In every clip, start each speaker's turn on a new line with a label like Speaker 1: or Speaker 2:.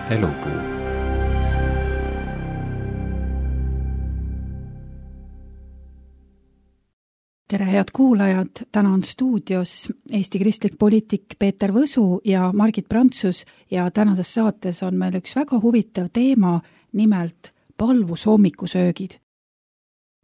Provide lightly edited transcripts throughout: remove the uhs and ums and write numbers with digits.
Speaker 1: Elupuu.
Speaker 2: Tere, head kuulajad! Täna on stuudios Eesti kristlik poliitik Peeter Võsu ja Margit Prantsus ja tänases saates on meil üks väga huvitav teema, nimelt palvushommikusöögid.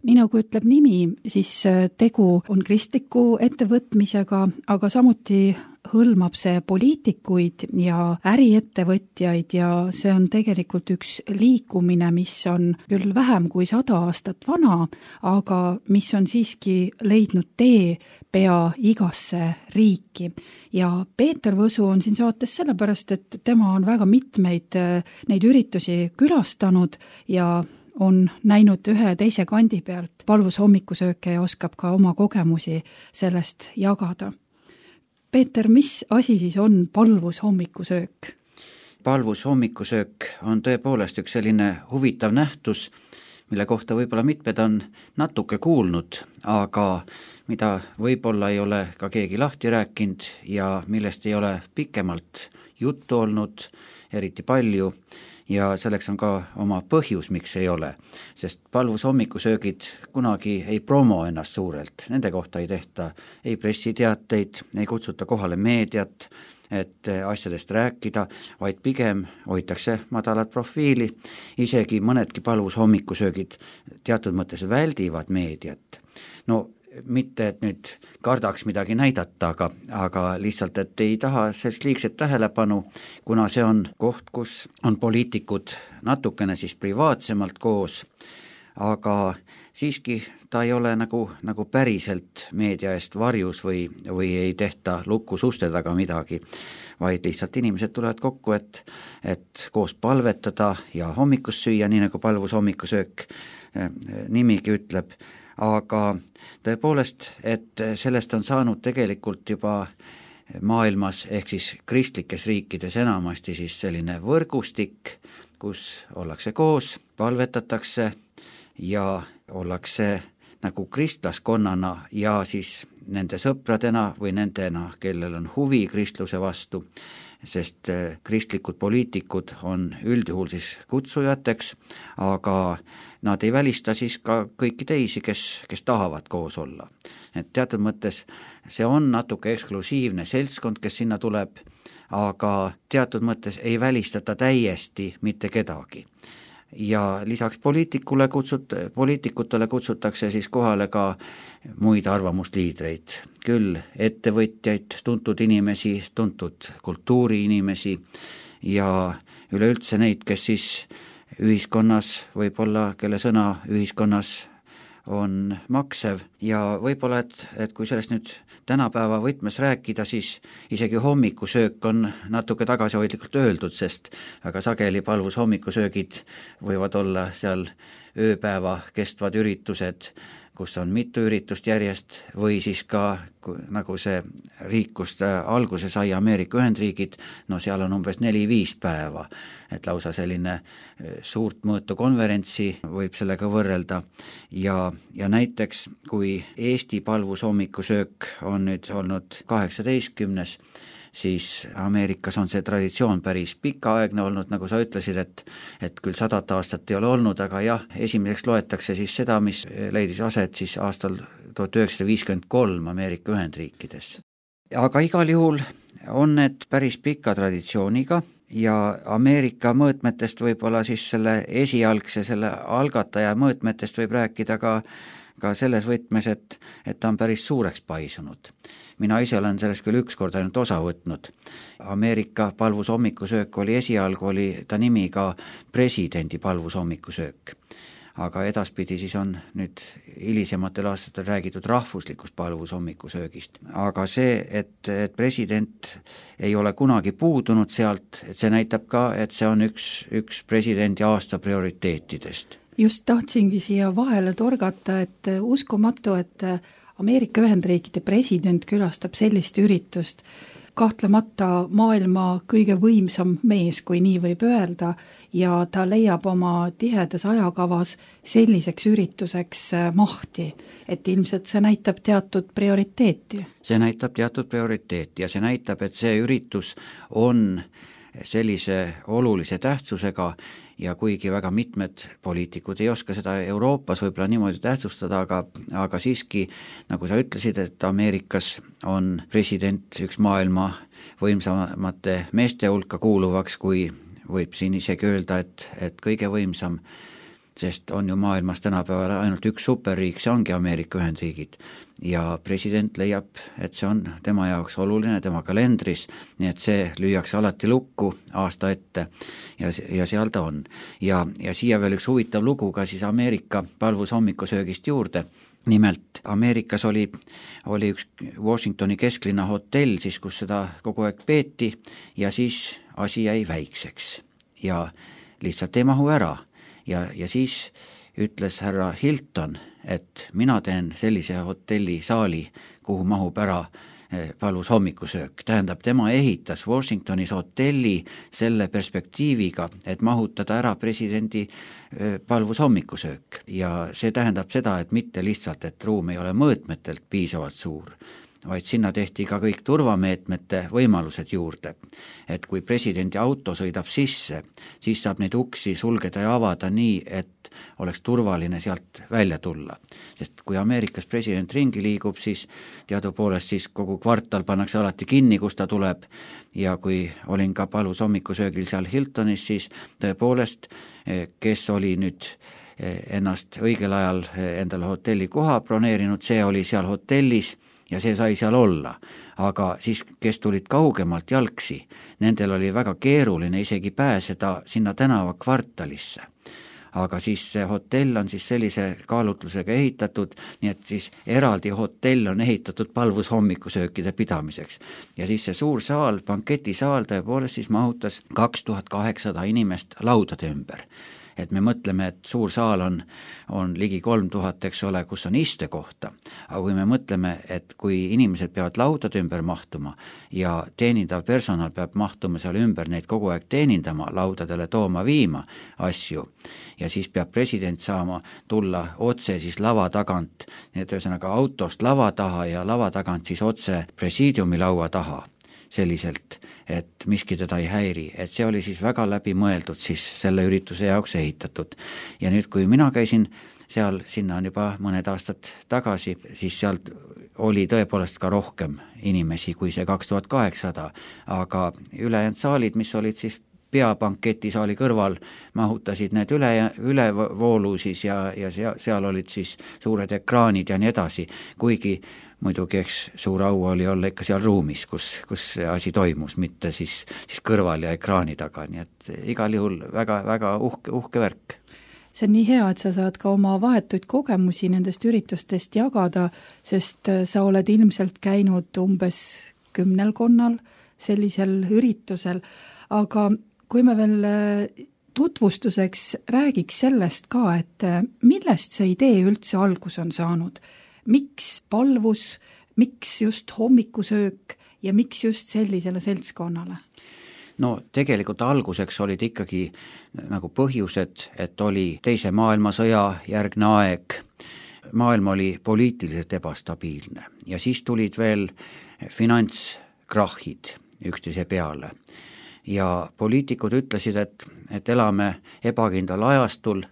Speaker 2: Nii nagu ütleb nimi, siis tegu on kristliku ettevõtmisega, aga samuti hõlmab see poliitikuid ja äriettevõtjaid ja see on tegelikult üks liikumine, mis on küll vähem kui 100 aastat vana, aga mis on siiski leidnud tee pea igasse riiki. Ja Peeter Võsu on siin saates sellepärast, et tema on väga mitmeid neid üritusi külastanud ja on näinud ühe teise kandi pealt palvushommikusööke ja oskab ka oma kogemusi sellest jagada. Peeter, mis asi siis on palvushommikusöök?
Speaker 3: Palvushommikusöök on tõepoolest üks selline huvitav nähtus, mille kohta võib-olla mitmed on natuke kuulnud, aga mida võib-olla ei ole ka keegi lahti rääkinud ja millest ei ole pikemalt juttu olnud eriti palju. Ja selleks on ka oma põhjus, miks ei ole, sest palvushommikusöögid kunagi ei promo ennast suurelt, nende kohta ei tehta ei pressiteateid, ei kutsuta kohale meediat, et asjadest rääkida, vaid pigem hoitakse madalat profiili, isegi mõnedki palvushommikusöögid teatud mõttes väldivad meediat. No mitte, et nüüd kardaks midagi näidata, aga lihtsalt, et ei taha sellist liigset tähelepanu, kuna see on koht, kus on poliitikud natukene siis privaatsemalt koos, aga siiski ta ei ole nagu päriselt meedia eest varjus või ei tehta lukus uste taga midagi, vaid lihtsalt inimesed tulevad kokku, et koos palvetada ja hommikust süüa, nii nagu palvushommikusöök nimigi ütleb. Aga tõepoolest, et sellest on saanud tegelikult juba maailmas ehk siis kristlikes riikides enamasti siis selline võrgustik, kus ollakse koos, palvetatakse ja ollakse nagu kristlaskonnana ja siis nende sõpradena või nendena, kellel on huvi kristluse vastu, sest kristlikud poliitikud on üldjuhul siis kutsujateks, aga nad ei välista siis ka kõiki teisi, kes tahavad koos olla. Et teatud mõttes see on natuke eksklusiivne seltskond, kes sinna tuleb, aga teatud mõttes ei välistata täiesti mitte kedagi. Ja lisaks poliitikutele kutsutakse siis kohale ka muid arvamusliidreid, küll ettevõtjaid, tuntud inimesi, tuntud kultuuriinimesi ja üleüldse neid, kes siis ühiskonnas võib-olla, kelle sõna ühiskonnas on maksev ja võib-olla, et kui sellest nüüd tänapäeva võtmes rääkida, siis isegi hommikusöök on natuke tagasihoidlikult öeldud, sest väga sageli palvushommikusöögid võivad olla seal ööpäeva kestvad üritused, kus on mitu üritust järjest või siis ka nagu see riik, kust alguse sai Ameerika Ühendriigid, no seal on umbes 4-5 päeva, et lausa selline suurt mõõtu konverentsi võib sellega võrrelda ja näiteks kui Eesti palvushommikusöök on nüüd olnud 18. siis Ameerikas on see traditsioon päris pikaaegne olnud, nagu sa ütlesid, et küll 100 aastat ei ole olnud, aga jah, esimeseks loetakse siis seda, mis leidis aset siis aastal 1953 Ameerika Ühendriikides. Aga igal juhul on need päris pika traditsiooniga ja Ameerika mõõtmetest võib-olla siis selle esialgse, selle algataja mõõtmetest võib rääkida ka selles võtmes, et ta on päris suureks paisunud. Mina ise olen sellest küll ükskord ainult osa võtnud. Ameerika palvushommikusöök oli esialgu, oli ta nimi ka presidendi palvushommikusöök. Aga edaspidi siis on nüüd hilisematel aastatel räägitud rahvuslikust palvushommikusöögist. Aga see, et president ei ole kunagi puudunud sealt, et see näitab ka, et see on üks presidendi aasta prioriteetidest.
Speaker 2: Just tahtsingi siia vahele torgata, et uskumatu, et Ameerika Ühendriikide president külastab sellist üritust, kahtlemata maailma kõige võimsam mees, kui nii võib öelda, ja ta leiab oma tihedas ajakavas selliseks ürituseks mahti, et ilmselt see näitab teatud prioriteeti.
Speaker 3: See näitab teatud prioriteeti ja see näitab, et see üritus on sellise olulise tähtsusega ja kuigi väga mitmed poliitikud ei oska seda Euroopas võib-olla niimoodi tähtsustada, aga siiski, nagu sa ütlesid, et Ameerikas on president üks maailma võimsamate meeste hulka kuuluvaks, kui võib siin isegi öelda, et kõige võimsam, sest on ju maailmas tänapäeval ainult üks superriik, see ongi Ameerika Ühendriigid. Ja president leiab, et see on tema jaoks oluline, tema kalendris, nii et see lüüakse alati lukku aasta ette ja seal ta on. Ja siia veel üks huvitav lugu ka siis Ameerika palvushommikusöögist juurde. Nimelt Ameerikas oli üks Washingtoni kesklinna hotell, siis kus seda kogu aeg peeti ja siis asi jäi väikseks ja lihtsalt ei mahu ära. Ja siis ütles härra Hilton, et mina teen sellise hotellisaali, kuhu mahub ära palvushommikusöök. Tähendab, tema ehitas Washingtonis hotelli selle perspektiiviga, et mahutada ära presidendi palvushommikusöök. Ja see tähendab seda, et mitte lihtsalt, et ruum ei ole mõõtmetelt piisavalt suur, vaid sinna tehti ka kõik turvameetmete võimalused juurde. Et kui presidendi auto sõidab sisse, siis saab neid uksi sulgeda ja avada nii, et oleks turvaline sealt välja tulla. Sest kui Ameerikas president ringi liigub, siis teadupoolest siis kogu kvartal pannakse alati kinni, kus ta tuleb. Ja kui olin ka palvushommikusöögil seal Hiltonis, siis tõepoolest, kes oli nüüd ennast õigel ajal endale hotelli koha broneerinud, see oli seal hotellis ja see sai seal olla, aga siis, kes tulid kaugemalt jalgsi, nendel oli väga keeruline isegi pääseda sinna tänava kvartalisse. Aga siis see hotell on siis sellise kaalutlusega ehitatud, nii et siis eraldi hotell on ehitatud palvushommikusöökide pidamiseks. Ja siis see suur saal, banketisaal tõepoolest siis mahutas 2800 inimest laudade ümber. Et me mõtleme, et suur saal on ligi 3000, eks ole, kus on istekohta. Aga kui me mõtleme, et kui inimesed peavad laudade ümber mahtuma ja teenindav personal peab mahtuma seal ümber neid kogu aeg teenindama, laudadele tooma viima asju ja siis peab president saama tulla otse siis lava tagant, nii et ühesõnaga autost lava taha ja lava tagant siis otse presiidiumi laua taha. Selliselt, et miski teda ei häiri, et see oli siis väga läbi mõeldud siis selle ürituse jaoks ehitatud. Ja nüüd, kui mina käisin seal, sinna on juba mõned aastad tagasi, siis sealt oli tõepoolest ka rohkem inimesi kui see 2800, aga ülejäänud saalid, mis olid siis peabanketisaali kõrval, mahutasid need ülevoolu siis ja seal olid siis suured ekraanid ja nii edasi, kuigi muidugi eks suur au oli olla ikka seal ruumis, kus see asi toimus, mitte siis kõrval ja ekraani taga, nii et igal juhul väga uhke värk.
Speaker 2: See on nii hea, et sa saad ka oma vahetuid kogemusi nendest üritustest jagada, sest sa oled ilmselt käinud umbes 10 sellisel üritusel, aga kui me veel tutvustuseks räägiks sellest ka, et millest see idee üldse algus on saanud? Miks palvus, miks just hommikusöök ja miks just sellisele seltskonnale?
Speaker 3: No tegelikult alguseks olid ikkagi nagu põhjused, et oli teise maailmasõja järgne aeg, maailm oli poliitiliselt ebastabiilne ja siis tulid veel finantskrahhid üksteise peale. Ja poliitikud ütlesid, et elame ebakindlal ajastul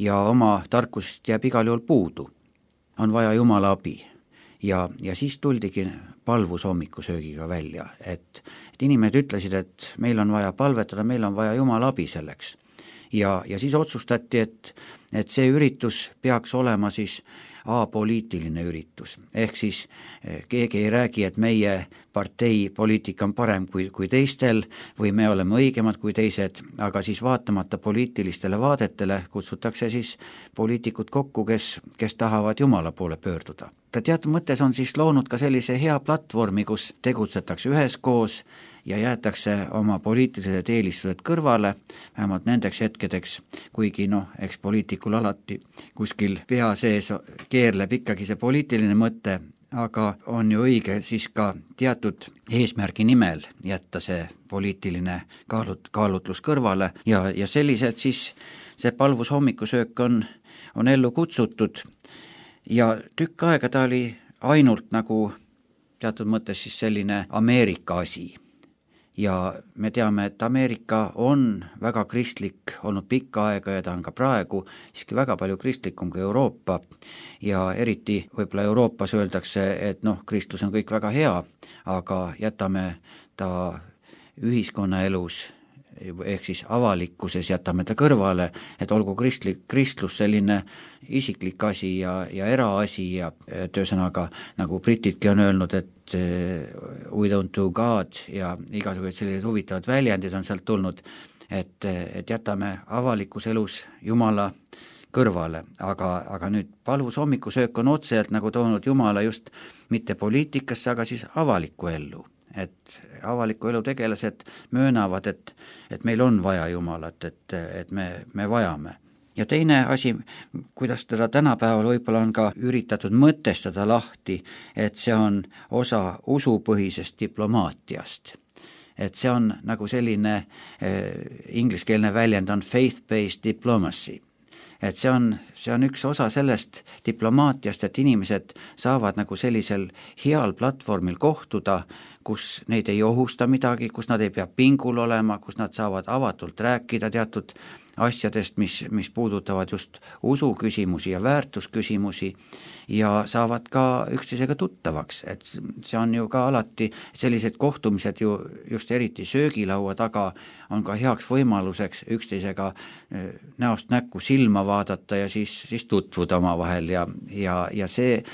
Speaker 3: ja oma tarkusest jääb igal juhul puudu. On vaja Jumala abi. Ja siis tuldigi palvushommikusöögiga välja, et inimesed ütlesid, et meil on vaja palvetada, meil on vaja Jumala abi selleks. Ja siis otsustati, et see üritus peaks olema siis apoliitiline üritus. Ehk siis keegi ei räägi, et meie partei poliitika on parem kui teistel või me oleme õigemad kui teised, aga siis vaatamata poliitilistele vaadetele kutsutakse siis poliitikud kokku, kes tahavad Jumala poole pöörduda. Ta teatud mõttes on siis loonud ka sellise hea platvormi, kus tegutsetakse üheskoos ja jäetakse oma poliitilised eelistused kõrvale, vähemalt nendeks hetkedeks, kuigi eks poliitikul alati kuskil pea sees keerleb ikkagi see poliitiline mõte, aga on ju õige siis ka teatud eesmärgi nimel jätta see poliitiline kaalutlus kõrvale ja sellised siis see palvushommikusöök on ellu kutsutud ja tükk aega ta oli ainult nagu teatud mõttes siis selline Ameerika asi. ja me teame, et Ameerika on väga kristlik olnud pikka aega ja ta on ka praegu siiski väga palju kristlikum kui Euroopa ja eriti võib-olla Euroopas öeldakse, et kristlus on kõik väga hea, aga jätame ta ühiskonnaelus ehk siis avalikkuses jätame ta kõrvale, et olgu kristlus selline isiklik asi ja eraasi ja töösõnaga, nagu britidki on öelnud, et we don't do God ja igasugused sellised huvitavad väljendid on sealt tulnud, et jätame avalikus elus Jumala kõrvale, aga nüüd palvus hommikusöök on otseselt nagu toonud Jumala just mitte poliitikasse, aga siis avalikku ellu. Et avaliku elu tegelased möönavad, et meil on vaja Jumalat, et me vajame. Ja teine asi, kuidas teda tänapäeval võib-olla on ka üritatud mõtestada lahti, et see on osa usupõhisest diplomaatiast. Et see on nagu selline ingliskeelne väljend on faith-based diplomacy. Et see on üks osa sellest diplomaatiast, et inimesed saavad nagu sellisel heal platvormil kohtuda, kus neid ei ohusta midagi, kus nad ei pea pingul olema, kus nad saavad avatult rääkida teatud asjadest, mis puudutavad just usuküsimusi ja väärtusküsimusi ja saavad ka üksteisega tuttavaks, et see on ju ka alati sellised kohtumised ju just eriti söögilaua taga on ka heaks võimaluseks üksteisega näost näkku silma vaadata ja siis tutvuda omavahel ja see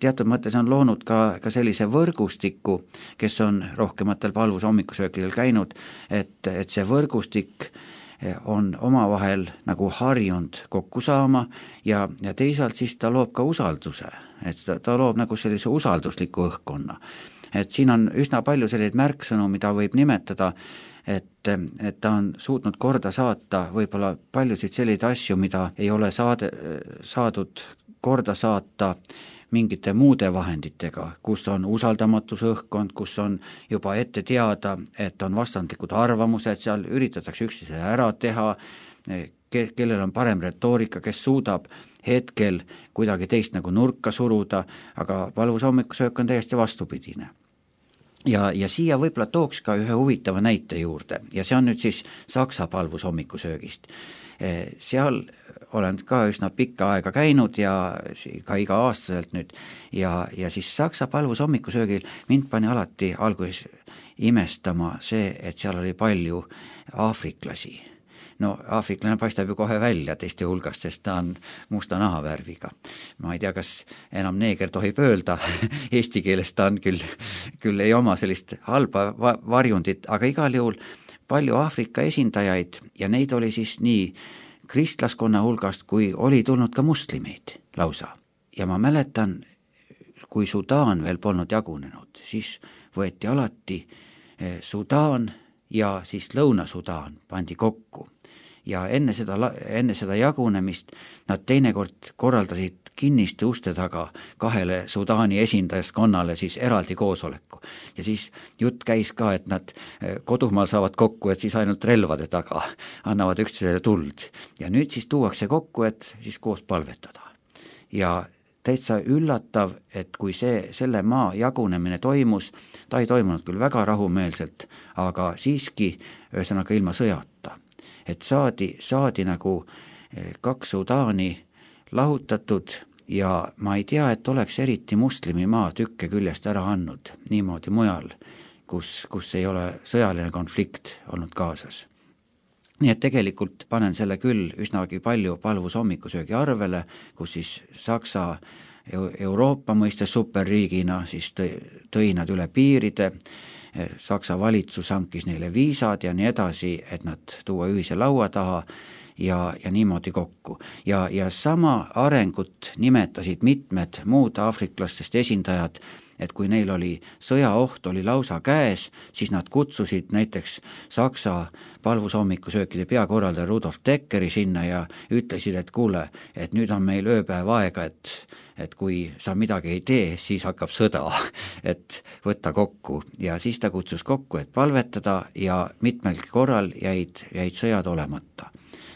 Speaker 3: teatud mõttes on loonud ka sellise võrgustiku, kes on rohkematel palvuse hommikusöökidel käinud, et see võrgustik on omavahel nagu harjunud kokku saama ja teisalt siis ta loob ka usalduse, et ta loob nagu sellise usaldusliku õhkkonna. Et siin on üsna palju selliseid märksõnu, mida võib nimetada, et ta on suutnud korda saata võib-olla paljusid selliseid asju, mida ei ole saadud korda saata mingite muude vahenditega, kus on usaldamatuse õhkkond, kus on juba ette teada, et on vastandlikud arvamused, seal üritatakse üksteisele ära teha, kellel on parem retoorika, kes suudab hetkel kuidagi teist nagu nurka suruda, aga palvuse hommikusöök on täiesti vastupidine. Ja siia võib-olla tooks ka ühe huvitava näite juurde ja see on nüüd siis Saksa palvuse hommikusöögist. Seal olen ka üsna pikka aega käinud ja ka iga-aastaselt nüüd ja siis Saksa palvuse hommikusöögil mind pani alati alguses imestama see, et seal oli palju aafriklasi. No aafriklane paistab ju kohe välja teiste hulgast, sest ta on musta nahavärviga. Ma ei tea, kas enam neeger tohib öelda, eesti keeles ta on küll ei oma sellist halba varjundit, aga igal juhul palju Aafrika esindajaid ja neid oli siis nii kristlaskonna hulgast, kui oli tulnud ka muslimeid lausa. Ja ma mäletan, kui Sudaan veel polnud jagunenud, siis võeti alati Sudaan ja siis Lõuna-Sudaan pandi kokku. Ja enne seda jagunemist nad teinekord korraldasid kinniste uste taga kahele Sudaani esindajaskonnale siis eraldi koosoleku. Ja siis jutt käis ka, et nad kodumaal saavad kokku, et siis ainult relvade taga annavad üksteisele tuld. Ja nüüd siis tuuakse kokku, et siis koos palvetada. Ja täitsa üllatav, et kui selle maa jagunemine toimus, ta ei toimunud küll väga rahumeelselt, aga siiski ühesõnaga ilma sõjata. Et saadi nagu kaks Sudaani lahutatud ja ma ei tea, et oleks eriti muslimi maa tükke küljest ära andnud niimoodi mujal, kus ei ole sõjaline konflikt olnud kaasas. Nii et tegelikult panen selle küll üsnagi palju palvuse hommikusöögi arvele, kus siis Saksa Euroopa mõistes superriigina siis tõi nad üle piiride, Saksa valitsus hankis neile viisad ja nii edasi, et nad tuua ühise laua taha ja niimoodi kokku. Ja sama arengut nimetasid mitmed muud aafriklastest esindajad, et kui neil oli sõjaoht oli lausa käes, siis nad kutsusid näiteks Saksa palvuse hommikusöökide peakorraldaja Rudolf Deckeri sinna ja ütlesid, et kuule, et nüüd on meil ööpäev aega, et kui sa midagi ei tee, siis hakkab sõda, et võtta kokku. Ja siis ta kutsus kokku, et palvetada ja mitmelgi korral jäid sõjad olemata.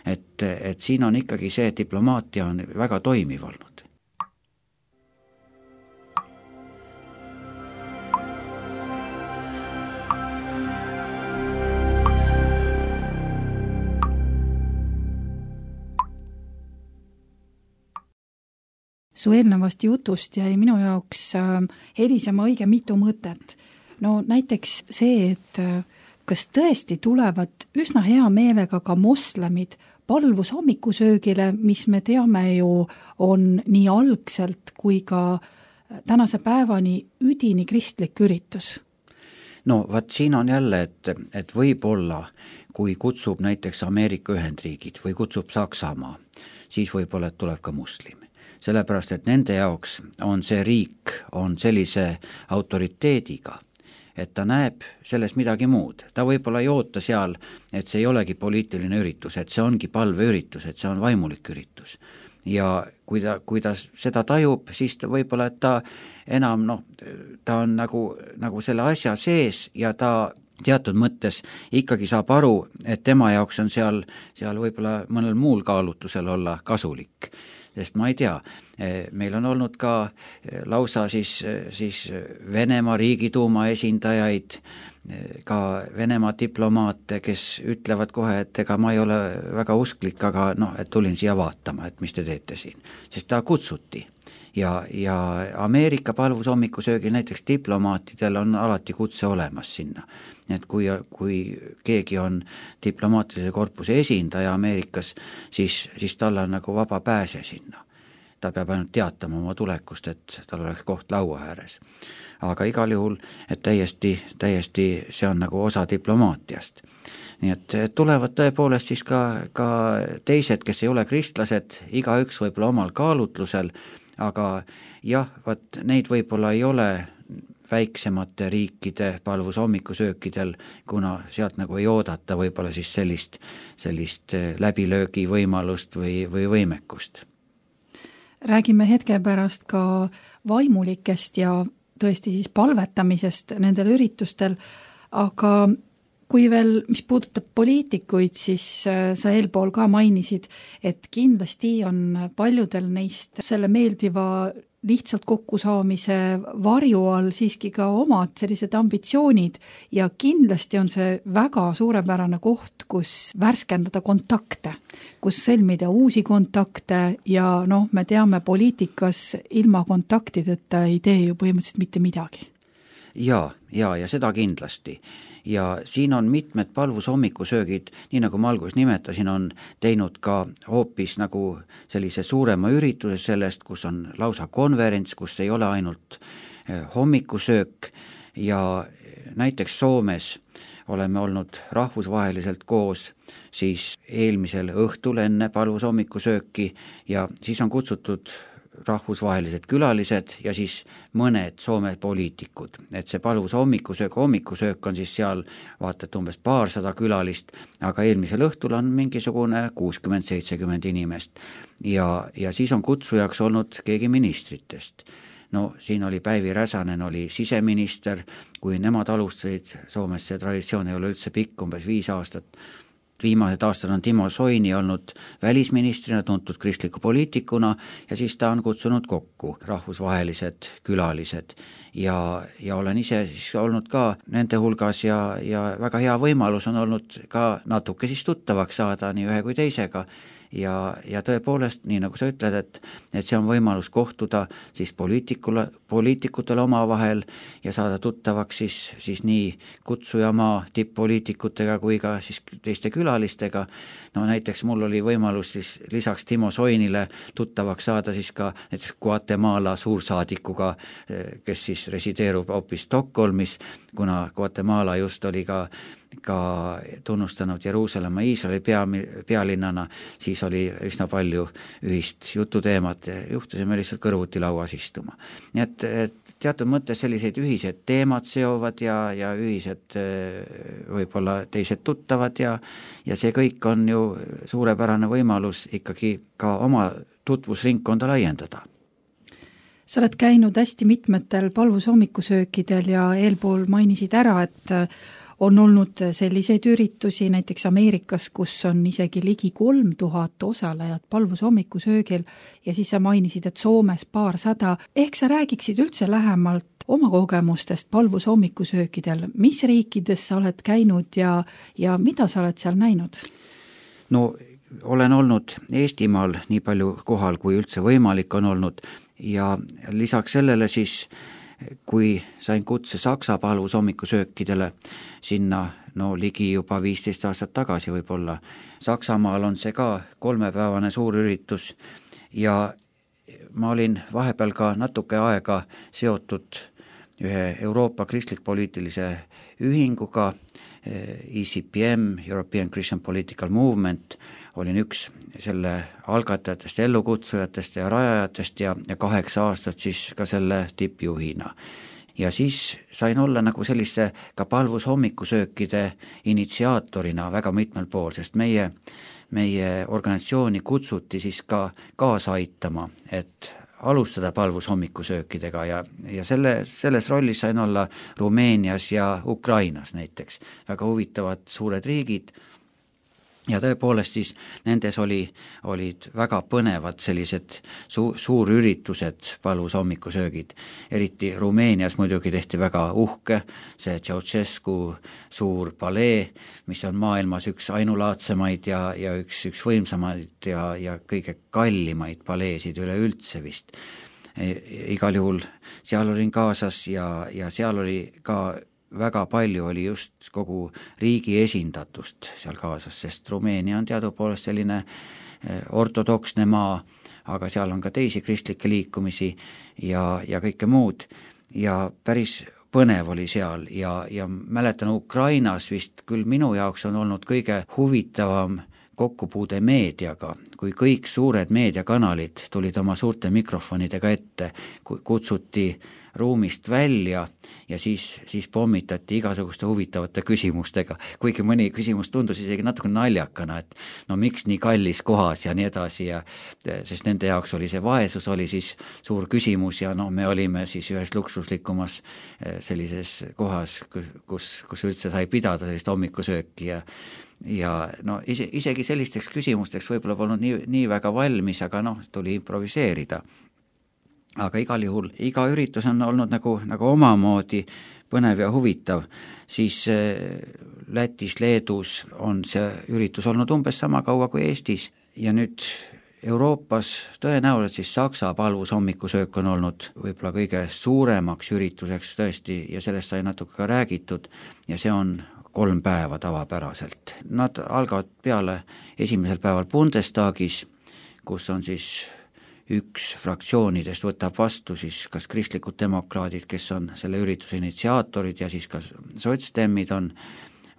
Speaker 3: Et siin on ikkagi see diplomaatia on väga toimiv olnud.
Speaker 2: su eelnevast jutust jäi minu jaoks helisema õige mitu mõtet. No näiteks see, et kas tõesti tulevad üsna hea meelega ka moslemid palvus hommikusöögile, mis me teame ju on nii algselt kui ka tänase päevani üdini kristlik üritus?
Speaker 3: No vaat siin on jälle, et võib-olla, kui kutsub näiteks Ameerika Ühendriigid või kutsub Saksamaa, siis võib-olla, et tuleb ka muslim. Sellepärast, et nende jaoks on see riik on sellise autoriteediga, et ta näeb selles midagi muud. Ta võib-olla ei oota seal, et see ei olegi poliitiline üritus, et see ongi palveüritus, et see on vaimulik üritus. Ja kui ta seda tajub, siis ta võib-olla, et ta enam, ta on nagu selle asja sees ja ta teatud mõttes ikkagi saab aru, et tema jaoks on seal võib-olla mõnel muul kaalutlusel olla kasulik. Sest ma ei tea, meil on olnud ka lausa siis Venemaa riigiduuma esindajaid, ka Venemaa diplomaate, kes ütlevad kohe, et ega ma ei ole väga usklik, aga et tulin siia vaatama, et mis te teete siin. Sest ta kutsuti. Ja Ameerika palvus hommikusöögil näiteks diplomaatidel on alati kutse olemas sinna. Et kui keegi on diplomaatilise korpuse esindaja Ameerikas, siis tal on nagu vaba pääse sinna. Ta peab ainult teatama oma tulekust, et tal oleks koht laua ääres. Aga igal juhul, et täiesti see on nagu osa diplomaatiast. Nii et tulevad tõepoolest siis ka teised, kes ei ole kristlased, igaüks võib-olla omal kaalutlusel, aga jah, neid võib-olla ei ole väiksemate riikide palvus hommikusöökidel, kuna sealt nagu ei oodata võib-olla siis sellist läbilöögi võimalust või võimekust.
Speaker 2: Räägime hetke pärast ka vaimulikest ja tõesti siis palvetamisest nendel üritustel, aga kui veel, mis puudutab poliitikuid, siis sa eelpool ka mainisid, et kindlasti on paljudel neist selle meeldiva lihtsalt kokkusaamise varju all siiski ka omad sellised ambitsioonid ja kindlasti on see väga suurepärane koht, kus värskendada kontakte, kus sõlmida uusi kontakte ja me teame poliitikas ilma kontaktideta ei tee ju põhimõtteliselt mitte midagi.
Speaker 3: Ja seda kindlasti. Ja siin on mitmed palvus hommikusöögid, nii nagu ma alguses nimetasin, on teinud ka hoopis nagu sellise suurema ürituse sellest, kus on lausa konverents, kus ei ole ainult hommikusöök ja näiteks Soomes oleme olnud rahvusvaheliselt koos siis eelmisel õhtul enne palvus hommikusööki ja siis on kutsutud rahvusvahelised külalised ja siis mõned Soome poliitikud. Et see palvus hommikusöök on siis seal vaatad umbes 200 külalist, aga eelmisel õhtul on mingisugune 60-70 inimest. Ja siis on kutsujaks olnud keegi ministritest. Siin oli Päivi Räsänen, oli siseminister, kui nemad alustasid, Soomes see traditsioon ei ole üldse pikk, umbes 5 aastat. Viimased aastad on Timo Soini olnud välisministrina, tuntud kristliku poliitikuna ja siis ta on kutsunud kokku rahvusvahelised külalised ja olen ise siis olnud ka nende hulgas ja väga hea võimalus on olnud ka natuke siis tuttavaks saada nii ühe kui teisega ja tõepoolest, nii nagu sa ütled, et see on võimalus kohtuda siis poliitikutele omavahel ja saada tuttavaks siis nii kutsujamaa tipp-poliitikutega kui ka siis teiste külalistega. Näiteks mul oli võimalus siis lisaks Timo Soinile tuttavaks saada siis ka näiteks Guatemala suursaadikuga, kes siis resideerub hoopis Stockholmis, kuna Guatemala just oli ka tunnustanud Jeruusalemma Iisraeli pealinnana, siis oli üsna palju ühist jututeemat ja juhtusime lihtsalt kõrvuti lauas istuma. Nii et teatud mõttes sellised ühised teemad seovad ja ühised võib-olla teised tuttavad ja see kõik on ju suurepärane võimalus ikkagi ka oma tutvusringkonda laiendada.
Speaker 2: Sa oled käinud hästi mitmetel palvus hommikusöökidel ja eelpool mainisid ära, et on olnud selliseid üritusi näiteks Ameerikas, kus on isegi ligi 3000 osalejat palvus hommikusöögil ja siis sa mainisid, et Soomes 200. Ehk sa räägiksid üldse lähemalt oma kogemustest palvus hommikusöökidel. Mis riikides sa oled käinud ja mida sa oled seal näinud?
Speaker 3: Olen olnud Eestimaal nii palju kohal, kui üldse võimalik on olnud ja lisaks sellele siis, kui sain kutse Saksa palvusommikusöökidele sinna ligi juba 15 aastat tagasi võib-olla. Saksamaal on see ka 3-päevane suur üritus ja ma olin vahepeal ka natuke aega seotud ühe Euroopa kristlik-poliitilise ühinguga, ECPM, European Christian Political Movement, olin üks selle algatajatest, ellukutsujatest ja rajajatest ja 8 aastat siis ka selle tippjuhina. Ja siis sain olla nagu selliste ka palvushommikusöökide initsiaatorina väga mitmel pool, sest meie organisatsiooni kutsuti siis ka kaasa aitama, et alustada palvushommikusöökidega ja selles rollis sain olla Rumeenias ja Ukrainas näiteks. Väga huvitavad suured riigid ja tõepoolest siis nendes olid väga põnevad sellised suurüritused, palvushommikusöögid. Eriti Rumeenias muidugi tehti väga uhke see Ceausescu suur palee, mis on maailmas üks ainulaadsemaid ja üks võimsamaid ja kõige kallimaid paleesid üleüldse vist. Igal juhul seal olin kaasas ja seal oli ka väga palju oli just kogu riigi esindatust seal kaasas, sest Rumeenia on teadupoolest selline ortodoksne maa, aga seal on ka teisi kristlikke liikumisi ja kõike muud ja päris põnev oli seal ja mäletan Ukrainas vist küll minu jaoks on olnud kõige huvitavam kokkupuude meediaga, kui kõik suured meediakanalid tulid oma suurte mikrofonidega ette, kutsuti ruumist välja ja siis pommitati igasuguste huvitavate küsimustega, kuigi mõni küsimus tundus isegi natuke naljakana, et miks nii kallis kohas ja nii edasi sest nende jaoks oli see vaesus oli siis suur küsimus ja me olime siis ühes luksuslikumas sellises kohas, kus üldse sai pidada sellist hommikusööki ja isegi sellisteks küsimusteks võib-olla polnud nii väga valmis, aga tuli improviseerida. Aga igal juhul iga üritus on olnud nagu omamoodi põnev ja huvitav, siis Lätis, Leedus on see üritus olnud umbes sama kaua kui Eestis ja nüüd Euroopas tõenäoliselt siis Saksa palvushommikusöök on olnud võib-olla kõige suuremaks ürituseks tõesti ja sellest sai natuke ka räägitud ja see on 3 päeva tavapäraselt. Nad algavad peale esimesel päeval Bundestagis, kus on siis üks fraktsioonidest võtab vastu siis kas kristlikud demokraadid, kes on selle ürituse initsiaatorid ja siis ka sotsdemmid on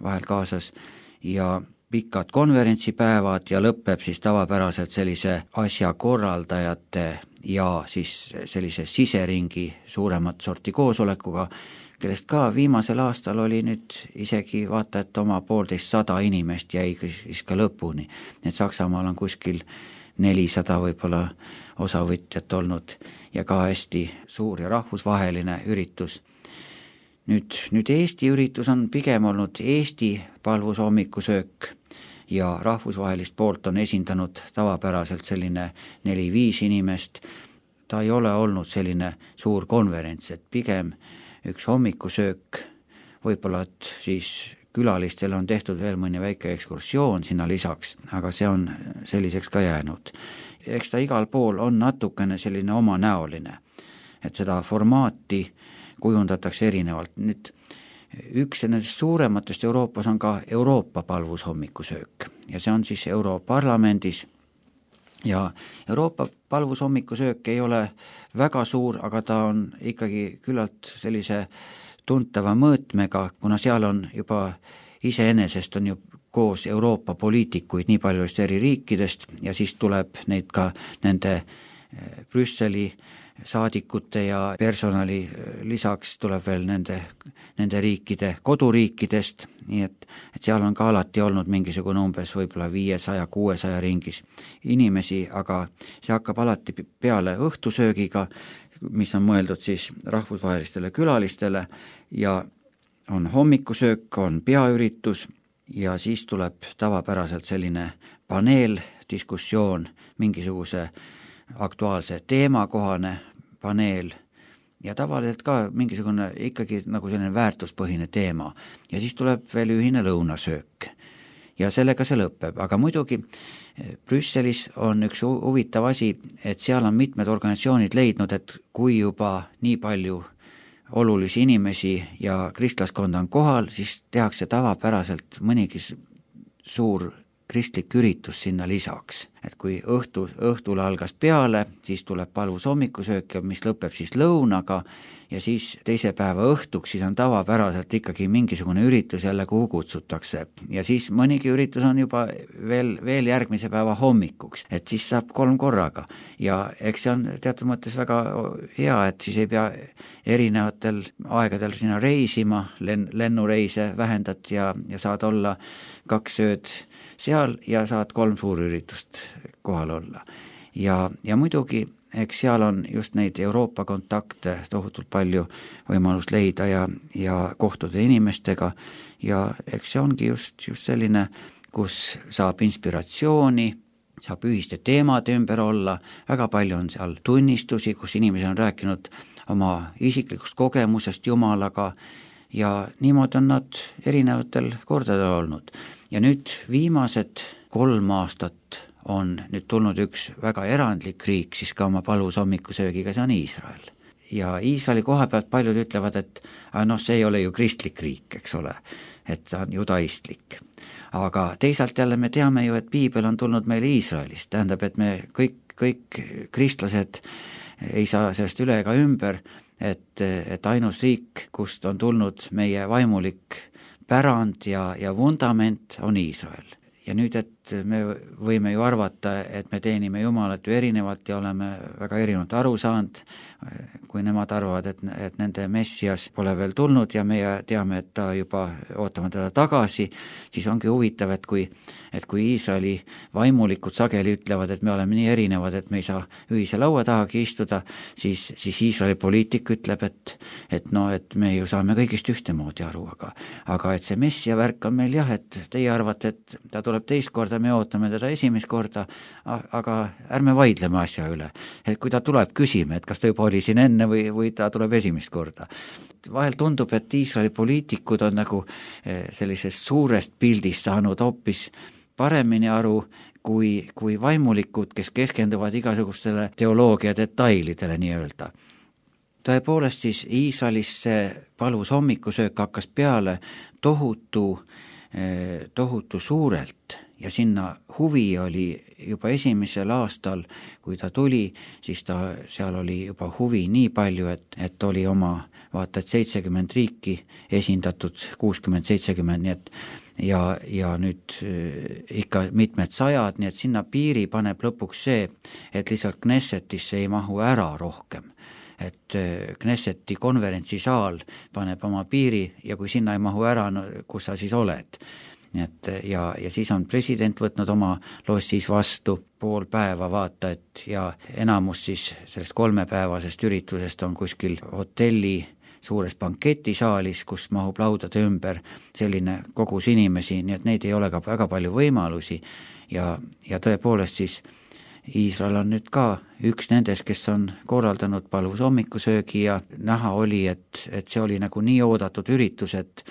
Speaker 3: vahel kaasas ja pikad konverentsipäevad ja lõpeb siis tavapäraselt sellise asjakorraldajate ja siis sellise siseringi suuremat sorti koosolekuga, kellest ka viimasel aastal oli nüüd isegi vaata, et oma 150 inimest jäi siis ka lõpuni. Need Saksamaal on kuskil 400 võib-olla osavõtjat olnud ja ka hästi suur ja rahvusvaheline üritus. Nüüd Eesti üritus on pigem olnud Eesti palvushommikusöök ja rahvusvahelist poolt on esindanud tavapäraselt selline 4-5 inimest. Ta ei ole olnud selline suur konverents, et pigem üks hommikusöök, võib-olla et siis külalistel on tehtud veel mõni väike ekskursioon sinna lisaks, aga see on selliseks ka jäänud. Eks ta igal pool on natukene selline omanäoline, et seda formaati kujundatakse erinevalt. Nüüd üks nendest suurematest Euroopas on ka Euroopa palvushommikusöök ja see on siis Europarlamendis ja Euroopa palvushommikusöök ei ole väga suur, aga ta on ikkagi küllalt sellise tuntava mõõtmega, kuna seal on juba iseenesest on ju koos Euroopa poliitikuid nii palju eri riikidest ja siis tuleb neid ka nende Brüsseli saadikute ja personali lisaks tuleb veel nende riikide koduriikidest, nii et seal on ka alati olnud mingisugune umbes võib-olla 500-600 ringis inimesi, aga see hakkab alati peale õhtusöögiga, mis on mõeldud siis rahvusvahelistele külalistele ja on hommikusöök, on peaüritus ja siis tuleb tavapäraselt selline paneeldiskussioon, mingisuguse aktuaalse teemakohane paneel ja tavaliselt ka mingisugune ikkagi nagu selline väärtuspõhine teema ja siis tuleb veel ühine lõunasöök. ja sellega see lõpeb, aga muidugi Brüsselis on üks huvitav asi, et seal on mitmed organisatsioonid leidnud, et kui juba nii palju olulisi inimesi ja kristlaskonda on kohal, siis tehakse tavapäraselt mõnigi suur kristlik üritus sinna lisaks. Et kui õhtul algas peale, siis tuleb palvus hommikusöök, mis lõpeb siis lõunaga ja siis teise päeva õhtuks siis on tavapäraselt ikkagi mingisugune üritus jälle, kuhu kutsutakse. Ja siis mõnigi üritus on juba veel järgmise päeva hommikuks, et siis saab 3 korraga. Ja eks see on teatud mõttes väga hea, et siis ei pea erinevatel aegadel sinna reisima, lennureise vähendad ja saad olla 2 ööd seal ja saad 3 suurüritust kohal olla. Ja muidugi, eks seal on just neid Euroopa kontakte tohutult palju võimalust leida ja kohtuda inimestega ja eks see ongi just selline, kus saab inspiratsiooni, saab ühiste teemade ümber olla, väga palju on seal tunnistusi, kus inimesed on rääkinud oma isiklikust kogemusest Jumalaga ja niimoodi on nad erinevatel kordadel olnud. Ja nüüd viimased 3 aastat on nüüd tulnud üks väga erandlik riik siis ka oma palvus hommikusöögiga, see on Iisrael. Ja Iisraeli koha pealt paljud ütlevad, et see ei ole ju kristlik riik, eks ole, et see on judaistlik. Aga teisalt jälle me teame ju, et piibel on tulnud meile Iisraelist, tähendab, et me kõik kristlased ei saa sellest üle ega ümber, et ainus riik, kust on tulnud meie vaimulik pärand ja vundament on Iisrael. Ja nüüd, et me võime ju arvata, et me teenime Jumalat ju erinevalt ja oleme väga erinevalt aru saanud, kui nemad arvavad, et nende Messias pole veel tulnud ja meie teame, et ta juba ootame teda tagasi, siis ongi huvitav, et kui Iisraeli vaimulikud sageli ütlevad, et me oleme nii erinevad, et me ei saa ühise laua tahagi istuda, siis Iisraeli poliitik ütleb, et me ju saame kõigist ühtemoodi aru, aga et see Messia värk on meil jah, et teie arvate, et ta tuleb teist korda, me ootame teda esimest korda, aga ärme vaidleme asja üle. Et kui ta tuleb, küsime, et kas ta juba oli siin enne või ta tuleb esimest korda. Vahel tundub, et Iisraeli poliitikud on nagu sellisest suurest pildist saanud hoopis paremini aru kui vaimulikud, kes keskenduvad igasugustele teoloogia detailidele nii-öelda. Tõepoolest siis Iisraelis see palvus hommikusöök hakkas peale tohutu suurelt ja sinna huvi oli juba esimesel aastal, kui ta tuli, siis seal oli juba huvi nii palju, et oli oma vaata, et 70 riiki esindatud, 60-70, nii et ja nüüd ikka mitmed sajad, nii et sinna piiri paneb lõpuks see, et lihtsalt Knessetisse ei mahu ära rohkem. Et Knesseti konverentsisaal paneb oma piiri ja kui sinna ei mahu ära, kus sa siis oled. Ja siis on president võtnud oma lossis vastu 5 päeva vaata, et ja enamus siis sellest 3-päevasest üritusest on kuskil hotelli suures banketisaalis, kus mahub laudade ümber selline kogus inimesi, nii et neid ei ole ka väga palju võimalusi ja tõepoolest siis Iisrael on nüüd ka üks nendest, kes on korraldanud palvus hommikusöögi ja näha oli, et see oli nagu nii oodatud üritus, et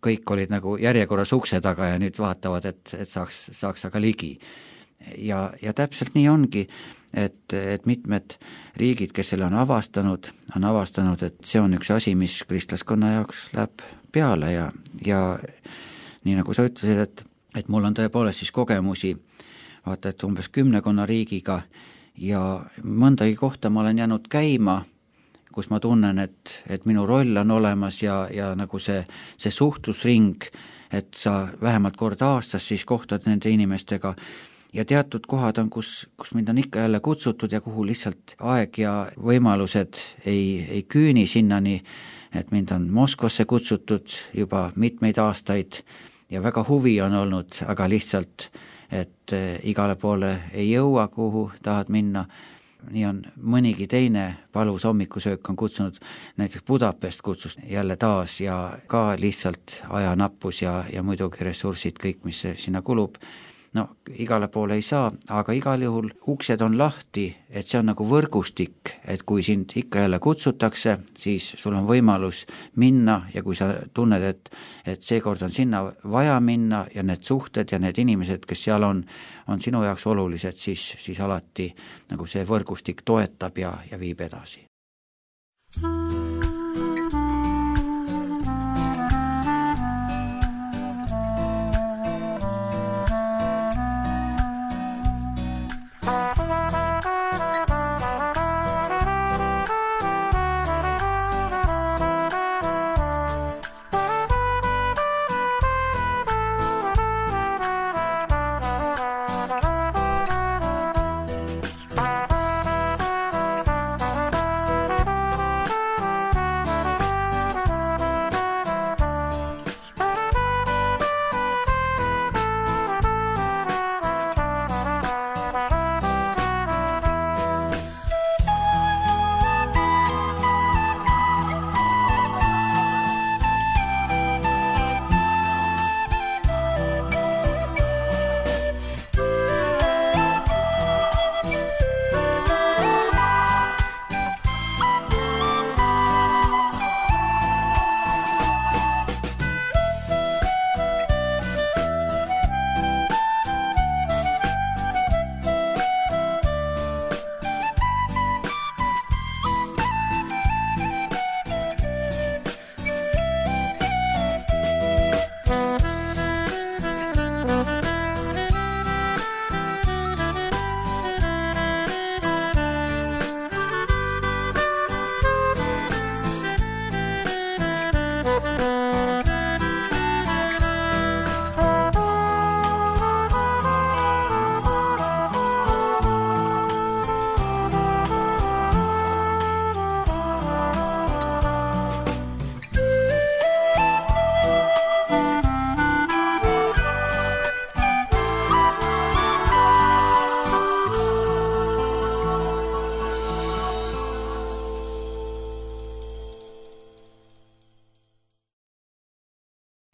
Speaker 3: kõik olid nagu järjekorras ukse taga ja nüüd vaatavad, et saaks aga ligi. Ja täpselt nii ongi, et mitmed riigid, kes selle on avastanud, et see on üks asi, mis kristlaskonna jaoks läheb peale ja nii nagu sa ütlesid, et mul on tõepoolest siis kogemusi vaata, et umbes 10 riigiga ja mõndagi kohta ma olen jäänud käima, kus ma tunnen, et minu roll on olemas ja nagu see suhtlusring, et sa vähemalt kord aastas siis kohtad nende inimestega ja teatud kohad on, kus mind on ikka jälle kutsutud ja kuhu lihtsalt aeg ja võimalused ei küüni sinnani, et mind on Moskvasse kutsutud juba mitmeid aastaid ja väga huvi on olnud, aga lihtsalt et igale poole ei jõua, kuhu tahad minna. Nii on mõnigi teine palvus hommikusöök on kutsunud, näiteks Budapest kutsus jälle taas ja ka lihtsalt ajanappus ja muidugi ressursid kõik, mis sinna kulub. no igale poole ei saa, aga igal juhul uksed on lahti, et see on nagu võrgustik, et kui sind ikka jälle kutsutakse, siis sul on võimalus minna ja kui sa tunned, et seekord on sinna vaja minna ja need suhted ja need inimesed, kes seal on sinu jaoks olulised, siis alati nagu see võrgustik toetab ja viib edasi.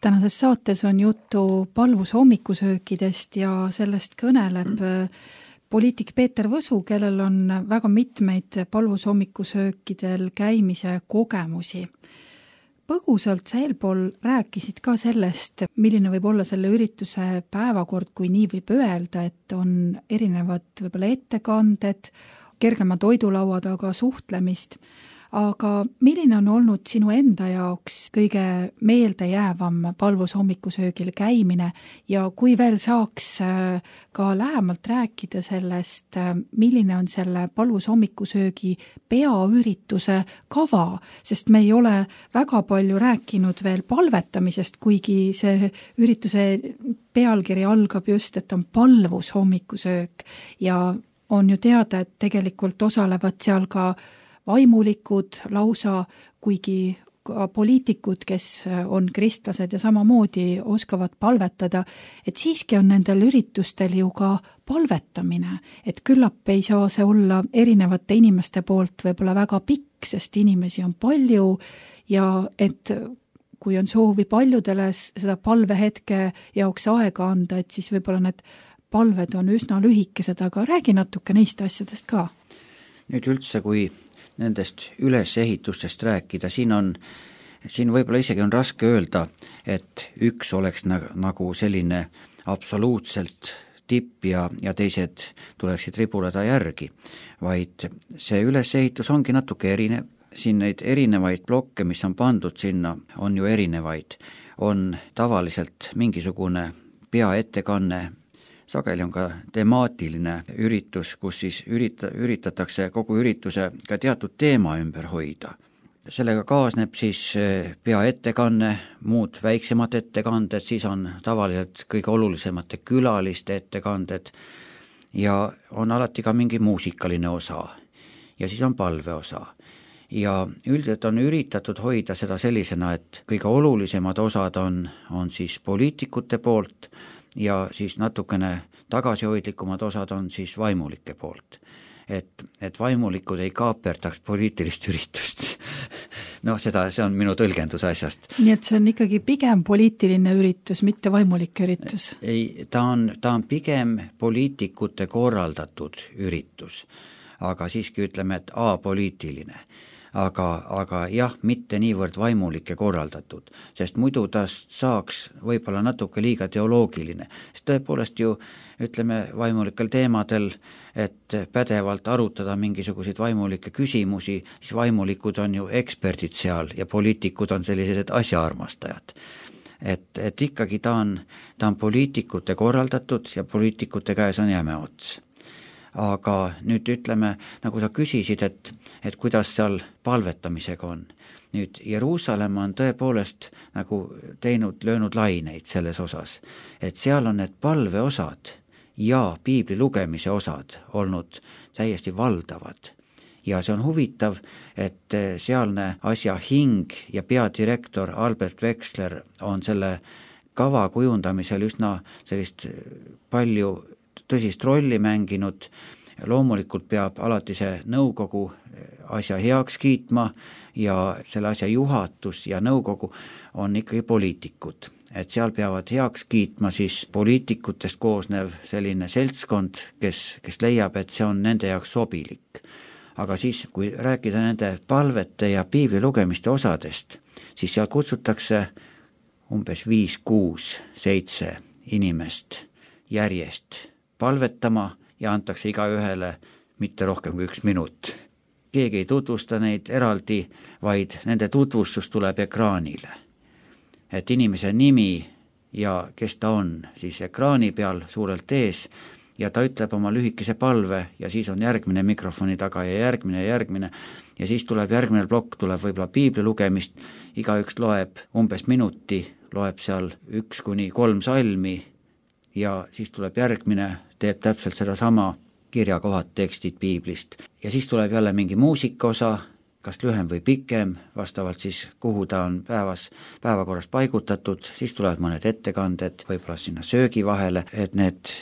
Speaker 2: Tänases saates on juttu palvus hommikusöökidest ja sellest kõneleb poliitik Peeter Võsu, kellel on väga mitmeid palvus hommikusöökidel käimise kogemusi. Põgusalt sa eelpool rääkisid ka sellest, milline võib olla selle ürituse päevakord, kui nii võib öelda, et on erinevad võib-olla ettekanded, kergema toidulaua taga suhtlemist. Aga milline on olnud sinu enda jaoks kõige meeldejäävam palvus hommikusöögil käimine ja kui veel saaks ka lähemalt rääkida sellest, milline on selle palvus hommikusöögi peaürituse kava, sest me ei ole väga palju rääkinud veel palvetamisest, kuigi see ürituse pealkiri algab just, et on palvus hommikusöök ja on ju teada, et tegelikult osalevad seal ka vaimulikud lausa, kuigi ka poliitikud, kes on kristlased ja samamoodi oskavad palvetada, et siiski on nendel üritustel ju ka palvetamine, et küllap ei saa see olla erinevate inimeste poolt võib-olla väga pikk, sest inimesi on palju ja et kui on soovi paljudele seda palvehetke jaoks aega anda, et siis võib-olla need palved on üsna lühikesed, aga räägi natuke neist asjadest ka.
Speaker 3: Nüüd üldse, kui nendest ülesehitustest rääkida, siin võib-olla isegi on raske öelda, et üks oleks nagu selline absoluutselt tipp ja teised tuleksid ribuleda järgi, vaid see ülesehitus ongi natuke erinev. Siin neid erinevaid blokke, mis on pandud sinna, on ju erinevaid. On tavaliselt mingisugune peaettekanne, sageli on ka temaatiline üritus, kus siis üritatakse kogu ürituse ka teatud teema ümber hoida. Sellega kaasneb siis peaettekanne, muud väiksemad ettekanded, siis on tavaliselt kõige olulisemate külaliste ettekanded ja on alati ka mingi muusikaline osa ja siis on palveosa. Ja üldiselt on üritatud hoida seda sellisena, et kõige olulisemad osad on siis poliitikute poolt ja siis natukene tagasihoidlikumad osad on siis vaimulike poolt. Et vaimulikud ei kaaperdaks poliitilist üritust. see on minu tõlgendus asjast.
Speaker 2: Nii et see on ikkagi pigem poliitiline üritus, mitte vaimulik üritus?
Speaker 3: Ei, ta on pigem poliitikute korraldatud üritus, aga siiski ütleme, et apoliitiline. Aga jah, mitte niivõrd vaimulik ja korraldatud, sest muidu tast saaks võib-olla natuke liiga teoloogiline, sest tõepoolest ju ütleme vaimulikel teemadel, et pädevalt arutada mingisuguseid vaimulikke küsimusi, siis vaimulikud on ju eksperdid seal ja poliitikud on sellised asjaarmastajad. Et ikkagi ta on poliitikute korraldatud ja poliitikute käes on jäme ots. Aga nüüd ütleme, nagu sa küsisid, et kuidas seal palvetamisega on. Nüüd Jeruusalemm on tõepoolest nagu löönud laineid selles osas, et seal on need palveosad ja piibli lugemise osad olnud täiesti valdavad. Ja see on huvitav, et sealne asja hing ja peadirektor Albert Wexler on selle kava kujundamisel üsna sellist palju tõsist rolli mänginud. Loomulikult peab alati see nõukogu asja heaks kiitma ja selle asja juhatus ja nõukogu on ikkagi poliitikud. Et seal peavad heaks kiitma siis poliitikutest koosnev selline seltskond, kes leiab, et see on nende jaoks sobilik. Aga siis, kui rääkida nende palvete ja piibli lugemiste osadest, siis seal kutsutakse umbes 5, 6, 7 inimest järjest palvetama ja antakse igaühele mitte rohkem kui 1 minut. Keegi ei tutvusta neid eraldi, vaid nende tutvustus tuleb ekraanile. Et inimese nimi ja kes ta on, siis ekraani peal suurelt ees ja ta ütleb oma lühikese palve ja siis on järgmine mikrofoni taga ja järgmine ja siis tuleb järgmine plokk, tuleb võib-olla piibli lugemist, igaüks loeb umbes minuti, loeb seal 1 kuni 3 salmi ja siis tuleb järgmine, teeb täpselt sedasama kirjakohad, tekstid piiblist. Ja siis tuleb jälle mingi muusikaosa, kas lühem või pikem, vastavalt siis kuhu ta on päevakorras paigutatud, siis tulevad mõned ettekanded, võib-olla sinna söögi vahele, et need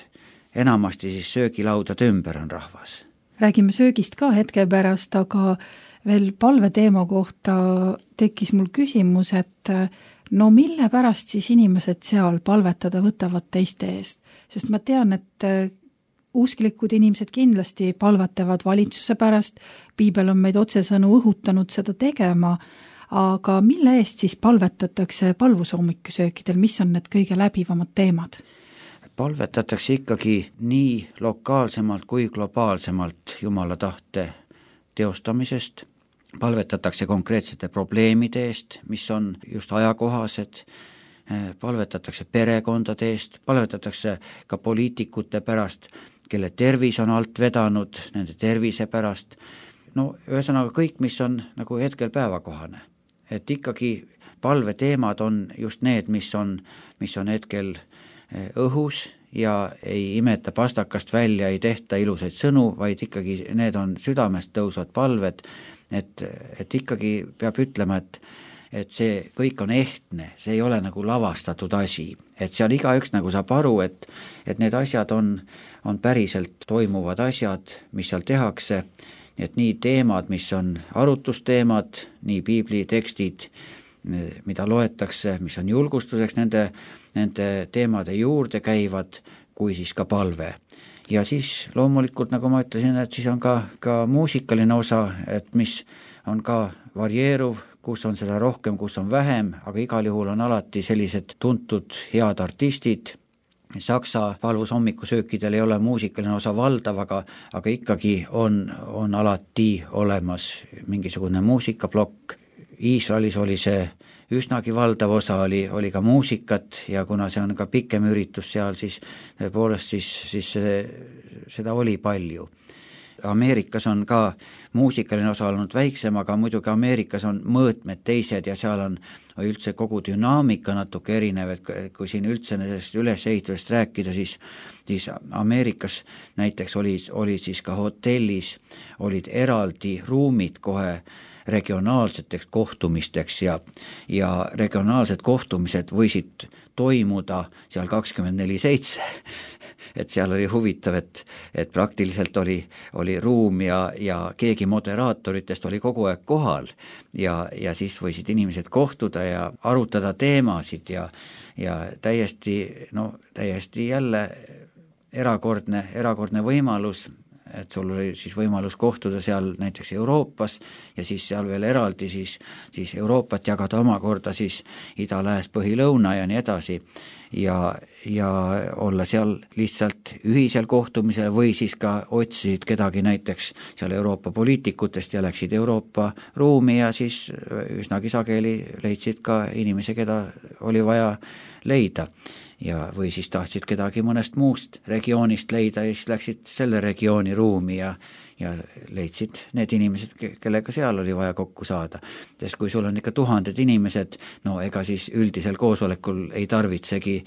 Speaker 3: enamasti siis söögilaudade ümber on rahvas.
Speaker 2: Räägime söögist ka hetke pärast, aga veel palve teema kohta tekkis mul küsimus, et no mille pärast siis inimesed seal palvetada võtavad teiste eest? Sest ma tean, et usklikud inimesed kindlasti palvetavad valitsuse pärast, piibel on meid otsesõnu õhutanud seda tegema, aga mille eest siis palvetatakse palvusoomikusöökidel, mis on need kõige läbivamad teemad?
Speaker 3: Palvetatakse ikkagi nii lokaalsemalt kui globaalsemalt Jumala tahte teostamisest, palvetatakse konkreetsete probleemide eest, mis on just ajakohased, palvetatakse perekondade eest, palvetatakse ka poliitikute pärast, kelle tervis on alt vedanud, nende tervise pärast. No ühesõnaga kõik, mis on nagu hetkel päevakohane. Et ikkagi palveteemad on just need, mis on hetkel õhus ja ei imeta pastakast välja, ei tehta ilusaid sõnu, vaid ikkagi need on südamest tõusvad palved, et ikkagi peab ütlema, et see kõik on ehtne, see ei ole nagu lavastatud asi, et seal igaüks nagu saab aru, et need asjad on päriselt toimuvad asjad, mis seal tehakse, et nii teemad, mis on arutusteemad, nii piibli tekstid, mida loetakse, mis on julgustuseks nende teemade juurde käivad, kui siis ka palve. Ja siis loomulikult, nagu ma ütlesin, et siis on ka muusikaline osa, et mis on ka varieeruv, kus on seda rohkem, kus on vähem, aga igal juhul on alati sellised tuntud head artistid. Saksa palvusoomikusöökidel ei ole muusikaline osa valdav, aga ikkagi on alati olemas mingisugune muusikaplokk. Iisraelis oli see üsnagi valdav osa, oli ka muusikat ja kuna see on ka pikem üritus seal, siis tõepoolest siis seda oli palju. Ameerikas on ka muusikaline osa olnud väiksem, aga muidugi Ameerikas on mõõtmed teised ja seal on üldse kogu dünaamika natuke erinev, et kui siin üldse nendest ülesehitusest rääkida, siis siis Ameerikas näiteks olid siis ka hotellis, olid eraldi ruumid kohe regionaalseteks kohtumisteks ja regionaalsed kohtumised võisid toimuda seal 24/7, et seal oli huvitav, et praktiliselt oli ruum ja keegi moderaatoritest oli kogu aeg kohal ja siis võisid inimesed kohtuda ja arutada teemasid ja täiesti jälle erakordne võimalus, et sul oli siis võimalus kohtuda seal näiteks Euroopas ja siis seal veel eraldi siis Euroopat jagada omakorda siis ida, lääs, põhi, lõuna ja nii edasi ja olla seal lihtsalt ühisel kohtumisel või siis ka otsisid kedagi näiteks seal Euroopa poliitikutest ja läksid Euroopa ruumi ja siis üsnagi sageli leidsid ka inimesi, keda oli vaja leida. Ja või siis tahtsid kedagi mõnest muust regioonist leida ja siis läksid selle regiooni ruumi ja leidsid need inimesed, kellega seal oli vaja kokku saada. Sest kui sul on ikka tuhanded inimesed, no ega siis üldisel koosolekul ei tarvitsegi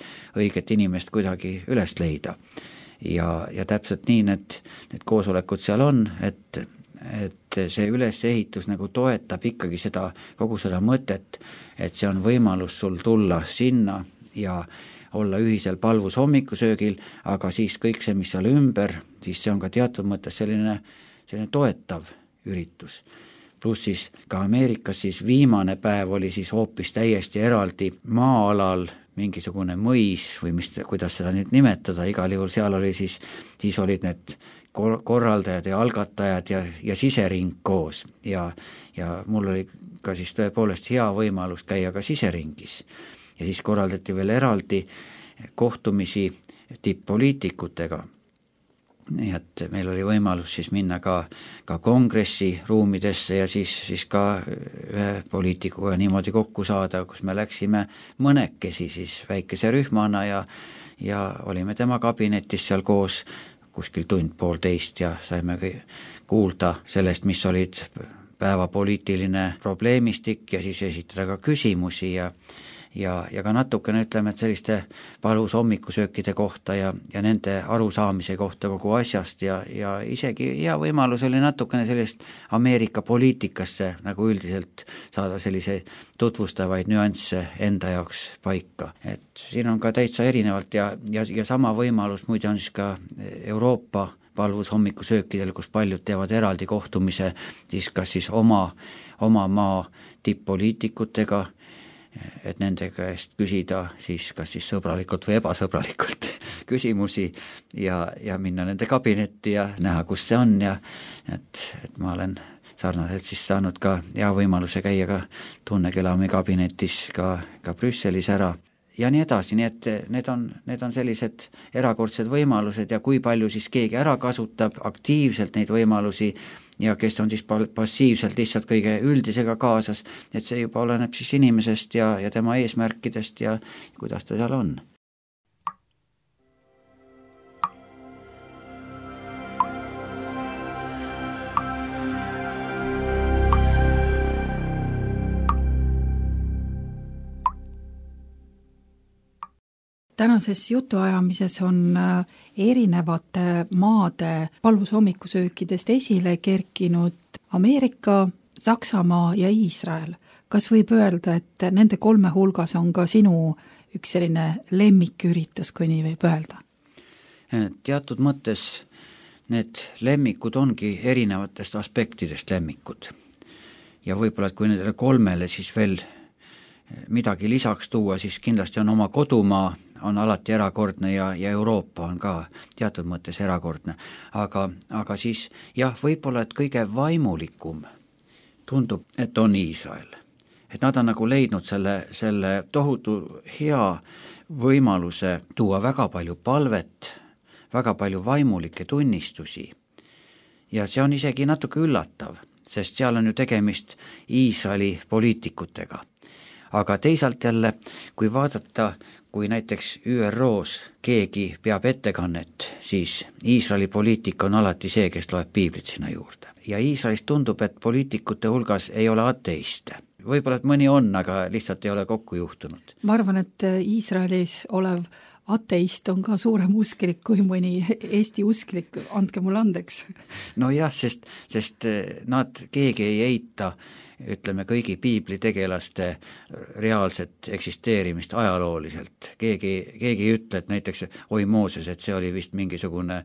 Speaker 3: õiget inimest kuidagi üles leida. Ja täpselt nii need koosolekud seal on, et see ülesehitus nagu toetab ikkagi kogu seda mõtet, et see on võimalus sul tulla sinna ja olla ühisel palvus hommikusöögil, aga siis kõik see, mis seal ümber, siis see on ka teatud mõttes selline toetav üritus. Pluss siis ka Ameerikas siis viimane päev oli siis hoopis täiesti eraldi maa-alal mingisugune mõis või kuidas seda nüüd nimetada, igal juhul seal oli siis olid need korraldajad ja algatajad ja sisering koos ja mul oli ka siis tõepoolest hea võimalus käia ka siseringis. Ja siis korraldati veel eraldi kohtumisi tipp-poliitikutega. Nii et meil oli võimalus siis minna ka kongressi ruumidesse ja siis ka ühe poliitikuga niimoodi kokku saada, kus me läksime mõnekesi siis väikese rühmana ja olime tema kabinetis seal koos kuskil tund-poolteist ja saime kuulda sellest, mis olid päevapoliitiline probleemistik ja siis esitada ka küsimusi ja ka natukene ütleme, et selliste palus hommikusöökide kohta ja nende arusaamise kohta kogu asjast ja isegi hea võimalus oli natukene sellist Ameerika poliitikasse nagu üldiselt saada sellise tutvustavaid nüansse enda jaoks paika. Et siin on ka täitsa erinevalt ja sama võimalus muide on siis ka Euroopa palvus hommikusöökidel, kus paljud teevad eraldi kohtumise siis kas siis oma maa tipp-poliitikutega, et nende käest küsida siis kas siis sõbralikult või ebasõbralikult küsimusi ja minna nende kabinetti ja näha, kus see on ja et ma olen sarnaselt siis saanud ka hea võimaluse käia ka Tunne-Kelami kabinetis ka Brüsselis ära ja nii edasi, nii et need on sellised erakordsed võimalused ja kui palju siis keegi ära kasutab aktiivselt neid võimalusi ja kes on siis passiivselt lihtsalt kõige üldisega kaasas, et see juba oleneb siis inimesest ja tema eesmärkidest ja kuidas ta seal on.
Speaker 2: Tänases jutuajamises on erinevate maade palvus hommikusöökidest esile kerkinud Ameerika, Saksamaa ja Iisrael. Kas võib öelda, et nende kolme hulgas on ka sinu üks selline lemmiküritus, kui nii võib öelda?
Speaker 3: Teatud mõttes need lemmikud ongi erinevatest aspektidest lemmikud. Ja võib-olla, et kui nendele kolmele siis veel midagi lisaks tuua, siis kindlasti on oma kodumaa, on alati erakordne ja Euroopa on ka teatud mõttes erakordne. Aga siis jah, võib-olla, et kõige vaimulikum tundub, et on Iisrael. Et nad on nagu leidnud selle tohutu hea võimaluse tuua väga palju palvet, väga palju vaimulikke tunnistusi. Ja see on isegi natuke üllatav, sest seal on ju tegemist Iisraeli poliitikutega. Aga teisalt jälle, kui vaadata, kui näiteks ÜROs keegi peab ettekannet, siis Iisraeli poliitika on alati see, kes loeb piiblit sinna juurde. Ja Iisraelis tundub, et poliitikute hulgas ei ole ateiste. Võib-olla, et mõni on, aga lihtsalt ei ole kokku juhtunud.
Speaker 2: Ma arvan, et Iisraelis olev ateist on ka suurem usklik kui mõni Eesti usklik, andke mulle andeks.
Speaker 3: No jah, sest nad keegi ei eita, ütleme, kõigi piiblitegelaste reaalset eksisteerimist ajalooliselt. Keegi ei ütle, et näiteks oi Mooses, et see oli vist mingisugune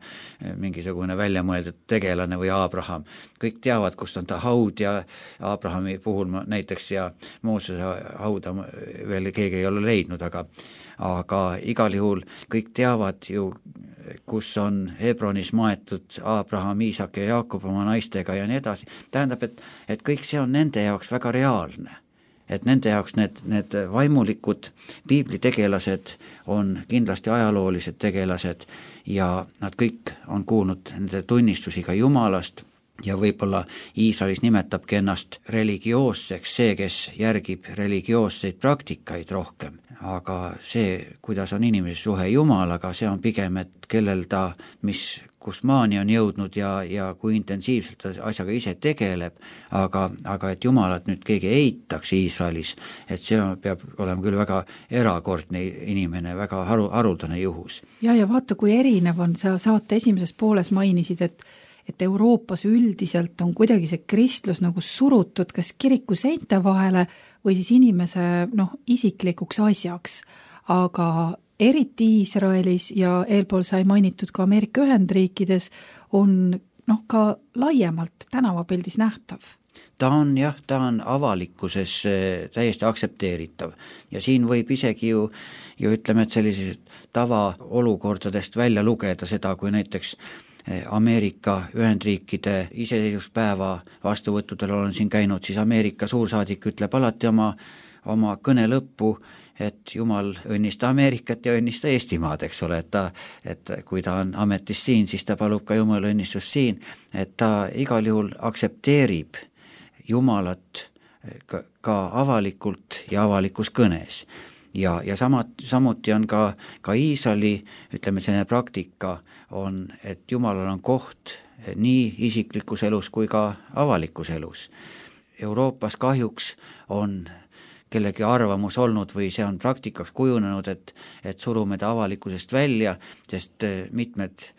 Speaker 3: väljamõeldud tegelane või Abraham. Kõik teavad, kust on ta haud ja Abrahami puhul näiteks ja Moosese hauda veel keegi ei ole leidnud, aga igal juhul kõik teavad ju, kus on Hebronis maetud Abraham, Iisak ja Jaakob oma naistega ja nii edasi. Tähendab, et kõik see on nende jaoks väga reaalne. Et nende jaoks need vaimulikud piiblitegelased on kindlasti ajaloolised tegelased ja nad kõik on kuulnud nende tunnistusi ka Jumalast ja võib-olla Iisraelis nimetabki ennast religioosseks see, kes järgib religioosseid praktikaid rohkem. Aga see, kuidas on inimese suhe Jumalaga, see on pigem, et kellel ta, kus maani on jõudnud ja kui intensiivselt ta asjaga ise tegeleb, aga et Jumalat nüüd keegi eitaks Iisraelis, et see peab olema küll väga erakordne inimene, väga haruldane juhus.
Speaker 2: Ja vaata, kui erinev on, sa saate esimeses pooles mainisid, et Euroopas üldiselt on kuidagi see kristlus nagu surutud kas kiriku seinte vahele või siis inimese isiklikuks asjaks, aga eriti Iisraelis ja eelpool sai mainitud ka Ameerika Ühendriikides on ka laiemalt tänavapildis nähtav.
Speaker 3: Ta on avalikkuses täiesti aktsepteeritav ja siin võib isegi ju ütleme, et sellised tavaolukordadest välja lugeda seda, kui näiteks Ameerika Ühendriikide iseseisvuspäeva vastuvõttudel olen siin käinud, siis Ameerika suursaadik ütleb alati oma kõne lõppu, et Jumal õnnista Ameerikat ja õnnista Eestimaad, eks ole, et kui ta on ametis siin, siis ta palub ka Jumala õnnistust siin, et ta igal juhul aktsepteerib Jumalat ka avalikult ja avalikus kõnes. Ja samuti on ka Iisraeli, ütleme, selline praktika on, et Jumalal on koht nii isiklikus elus kui ka avalikus elus. Euroopas kahjuks on kellegi arvamus olnud või see on praktikaks kujunenud, et surume ta avalikkusest välja, sest mitmed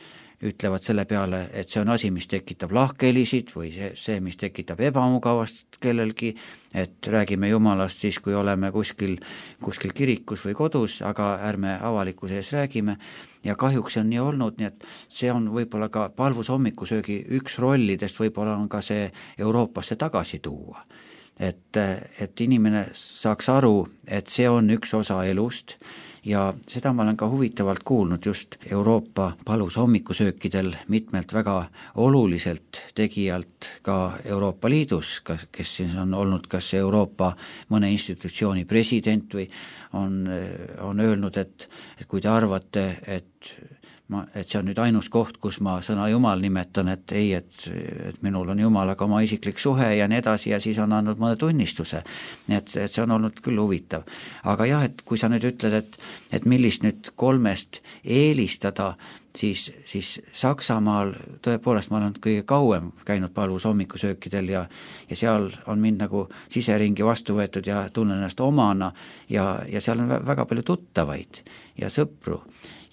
Speaker 3: ütlevad selle peale, et see on asi, mis tekitab lahkhelisid või see, mis tekitab ebamugavast kellelgi, et räägime Jumalast siis, kui oleme kuskil kirikus või kodus, aga ärme avalikkuse ees räägime. Ja kahjuks on nii olnud, nii et see on võib-olla ka palvusommikusöögi üks rollidest, võib-olla on ka see Euroopasse tagasi tuua. Et inimene saaks aru, et see on üks osa elust ja seda ma olen ka huvitavalt kuulnud just Euroopa palusommikusöökidel mitmelt väga oluliselt tegijalt ka Euroopa Liidus, kes siis on olnud kas Euroopa mõne institutsiooni president või on öelnud, et kui te arvate, et see on nüüd ainus koht, kus ma sõna Jumal nimetan, et ei, et minul on Jumalaga oma isiklik suhe ja nii edasi ja siis on andnud mõne tunnistuse. Nii et see on olnud küll huvitav. Aga jah, et kui sa nüüd ütled, et millist nüüd kolmest eelistada, siis Saksamaal tõepoolest ma olen kõige kauem käinud palvusommikusöökidel ja seal on mind nagu siseringi vastu võetud ja tunnen ennast omana ja seal on väga palju tuttavaid ja sõpru.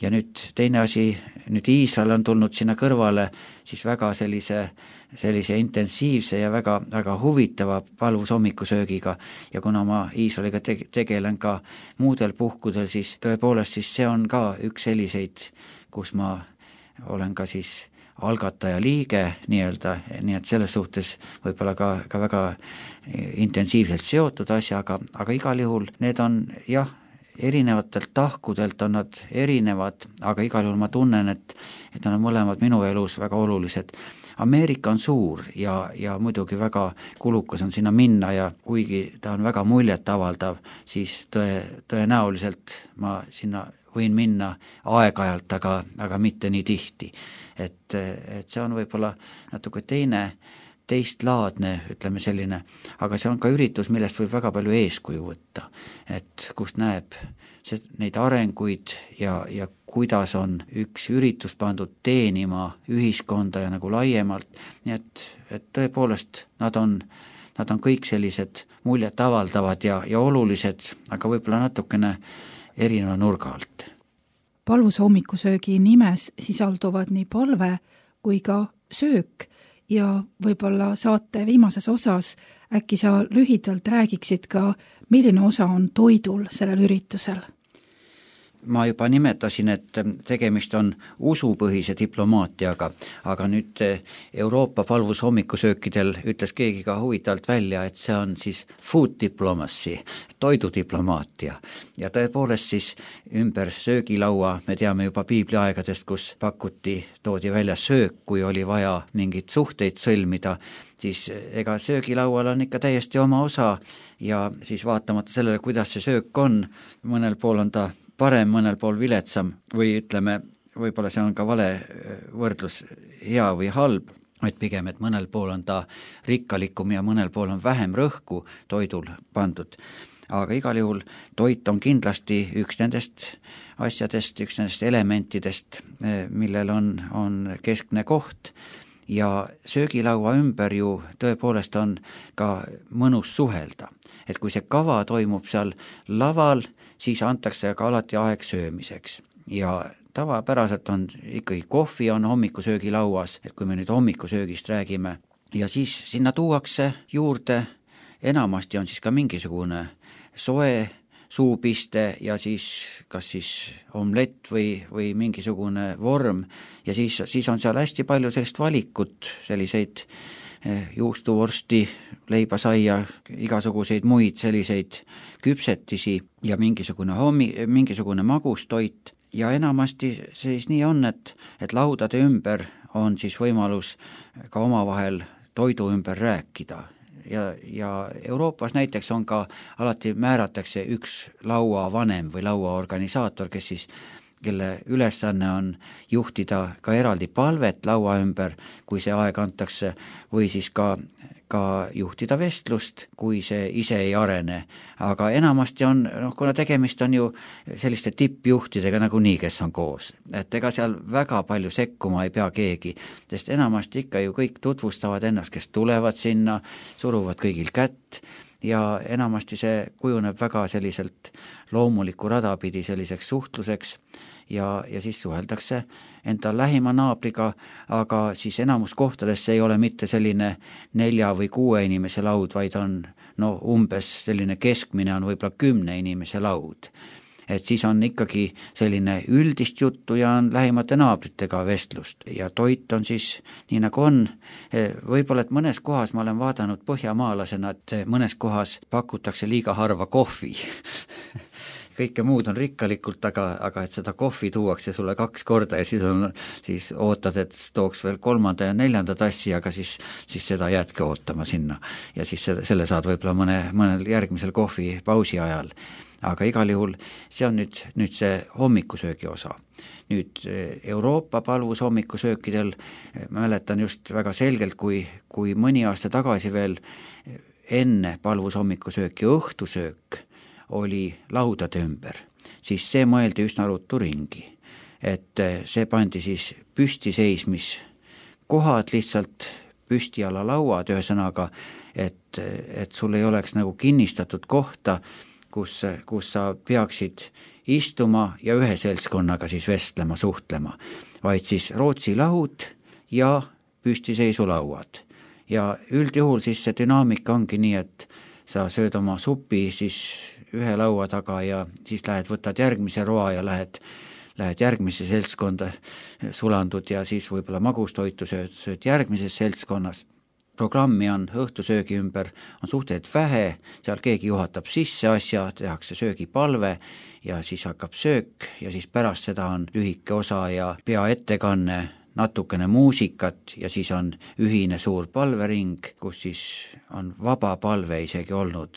Speaker 3: Ja nüüd teine asi, nüüd Iisrael on tulnud sinna kõrvale siis väga sellise intensiivse ja väga, väga huvitava palvusommikusöögiga ja kuna ma Iisraeliga tegelen ka muudel puhkudel, siis tõepoolest siis see on ka üks selliseid, kus ma olen ka siis algataja liige nii-öelda, nii et selles suhtes võib-olla ka väga intensiivselt seotud asjaga, aga igal juhul need on jah, erinevatelt tahkudelt on nad erinevad, aga igal juhul ma tunnen, et nad on mõlemad minu elus väga olulised. Ameerika on suur ja muidugi väga kulukas on sinna minna ja kuigi ta on väga muljet avaldav, siis tõenäoliselt ma sinna võin minna aeg-ajalt, aga mitte nii tihti. Et see on võib-olla natuke teistlaadne, ütleme selline, aga see on ka üritus, millest võib väga palju eeskuju võtta, et kust näeb neid arenguid ja kuidas on üks üritus pandud teenima ühiskonda ja nagu laiemalt, nii et tõepoolest nad on kõik sellised muljet avaldavad ja olulised, aga võib-olla natukene erineva nurga alt.
Speaker 2: palvuse hommikusöögi nimes sisalduvad nii palve kui ka söök ja võib-olla saate viimases osas äkki sa lühidalt räägiksid ka, milline osa on toidul sellel üritusel?
Speaker 3: Ma juba nimetasin, et tegemist on usupõhise diplomaatiaga, aga nüüd Euroopa palvus hommikusöökidel ütles keegi ka huvitavalt välja, et see on siis food diplomacy, toidudiplomaatia. Ja tõepoolest siis ümber söögilaua, me teame juba piibliaegadest, kus toodi välja söök, kui oli vaja mingeid suhteid sõlmida, siis ega söögilaual on ikka täiesti oma osa ja siis vaatamata sellele, kuidas see söök on, mõnel pool on ta parem, mõnel pool viletsam või ütleme, võib-olla see on ka vale võrdlus hea või halb, vaid pigem, et mõnel pool on ta rikkalikum ja mõnel pool on vähem rõhku toidul pandud. Aga igal juhul toit on kindlasti üks nendest asjadest, üks nendest elementidest, millel on keskne koht ja söögilaua ümber ju tõepoolest on ka mõnus suhelda. Et kui see kava toimub seal laval, siis antakse ka alati aeg söömiseks ja tavapäraselt on ikkagi kohvi on hommikusöögilauas, et kui me nüüd hommikusöögist räägime ja siis sinna tuuakse juurde, enamasti on siis ka mingisugune soe suupiste ja siis kas siis omlett või mingisugune vorm ja siis on seal hästi palju sellist valikut, selliseid juustuvorsti, leibasaia, igasuguseid muid selliseid küpsetisi ja mingisugune magustoit ja enamasti siis nii on, et laudade ümber on siis võimalus ka omavahel toidu ümber rääkida ja Euroopas näiteks on ka alati määratakse üks lauavanem või lauaorganisaator, kelle ülesanne on juhtida ka eraldi palvet laua ümber, kui see aeg antakse, või siis ka juhtida vestlust, kui see ise ei arene. Aga enamasti on, kuna tegemist on ju selliste tippjuhtidega nagunii, kes on koos, et ega seal väga palju sekkuma ei pea keegi, sest enamasti ikka ju kõik tutvustavad ennast, kes tulevad sinna, suruvad kõigil kätt, ja enamasti see kujuneb väga selliselt loomuliku rada pidi selliseks suhtluseks ja siis suheldakse enda lähima naabriga, aga siis enamus kohtades see ei ole mitte selline 4 või 6 inimese laud, vaid on umbes selline keskmine on võib-olla 10 inimese laud. Et siis on ikkagi selline üldist juttu ja on lähimate naabritega vestlust ja toit on siis nii nagu on. Võib-olla, et mõnes kohas ma olen vaadanud põhjamaalasena, et mõnes kohas pakutakse liiga harva kohvi. Kõike muud on rikkalikult, aga et seda kohvi tuuakse sulle 2 korda ja siis ootad, et tooks veel 3. ja 4. tassi, aga siis seda jäädki ootama sinna ja siis selle saad võib-olla mõnel järgmisel kohvipausi ajal. Aga igal juhul see on nüüd see hommikusöögi osa. Nüüd Euroopa palvus hommikusöökidel mäletan just väga selgelt, kui mõni aasta tagasi veel enne palvus hommikusööki õhtusöök oli laudade ümber, siis see mõeldi üsna ruttu ringi, et see pandi siis püstiseismiskohad lihtsalt püstiala lauad, ühesõnaga, et sul ei oleks nagu kinnistatud kohta, kus sa peaksid istuma ja ühe seltskonnaga siis vestlema, suhtlema, vaid siis Rootsi laud ja püstiseisulauad. Ja üldjuhul siis see dünaamika ongi nii, et sa sööd oma supi siis ühe laua taga ja siis võtad järgmise roa ja lähed järgmise seltskonda, sulandud ja siis võib-olla magustoitu sööd järgmises seltskonnas. Programmi on õhtusöögi ümber, on suhteliselt vähe, seal keegi juhatab sisse asja, tehakse söögipalve ja siis hakkab söök ja siis pärast seda on lühike osa ja peaettekanne, natukene muusikat ja siis on ühine suur palvering, kus siis on vaba palve isegi olnud.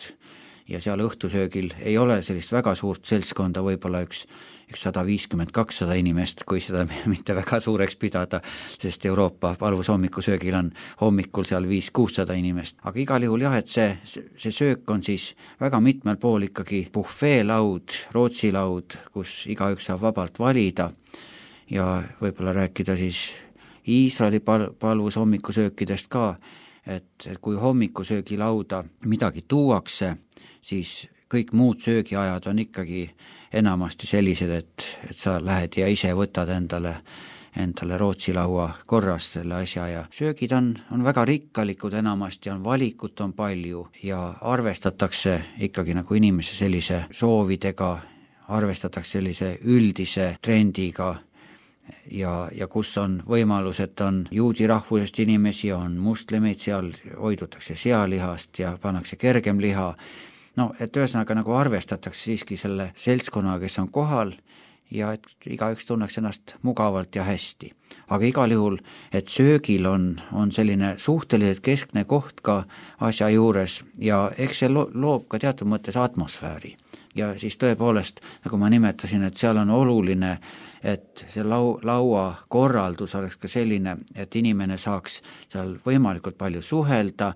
Speaker 3: Ja seal õhtusöögil ei ole sellist väga suurt seltskonda, võib-olla üks 150-200 inimest, kui seda mitte väga suureks pidada, sest Euroopa palvus hommikusöögil on hommikul seal 500-600 inimest. Aga igal juhul jah, et see söök on siis väga mitmel pool ikkagi buffeelaud, Rootsi laud, kus igaüks saab vabalt valida ja võib-olla rääkida siis Iisraeli palvus hommikusöökidest ka, et kui hommikusöögilauda midagi tuuakse, siis kõik muud söögiajad on ikkagi enamasti sellised, et sa lähed ja ise võtad endale Rootsi laua korras selle asja ja söögid on väga rikkalikud, enamasti on valikut on palju ja arvestatakse ikkagi nagu inimese sellise soovidega, arvestatakse sellise üldise trendiga ja kus on võimalus, et on juudi rahvusest inimesi, on moslemeid, seal hoidutakse sealihast ja pannakse kergem liha. No, et ühesõnaga nagu arvestatakse siiski selle seltskonna, kes on kohal ja et igaüks tunneks ennast mugavalt ja hästi. Aga igal juhul, et söögil on selline suhteliselt keskne koht ka asja juures ja eks see loob ka teatud mõttes atmosfääri. Ja siis tõepoolest, nagu ma nimetasin, et seal on oluline, et see laua korraldus oleks ka selline, et inimene saaks seal võimalikult palju suhelda.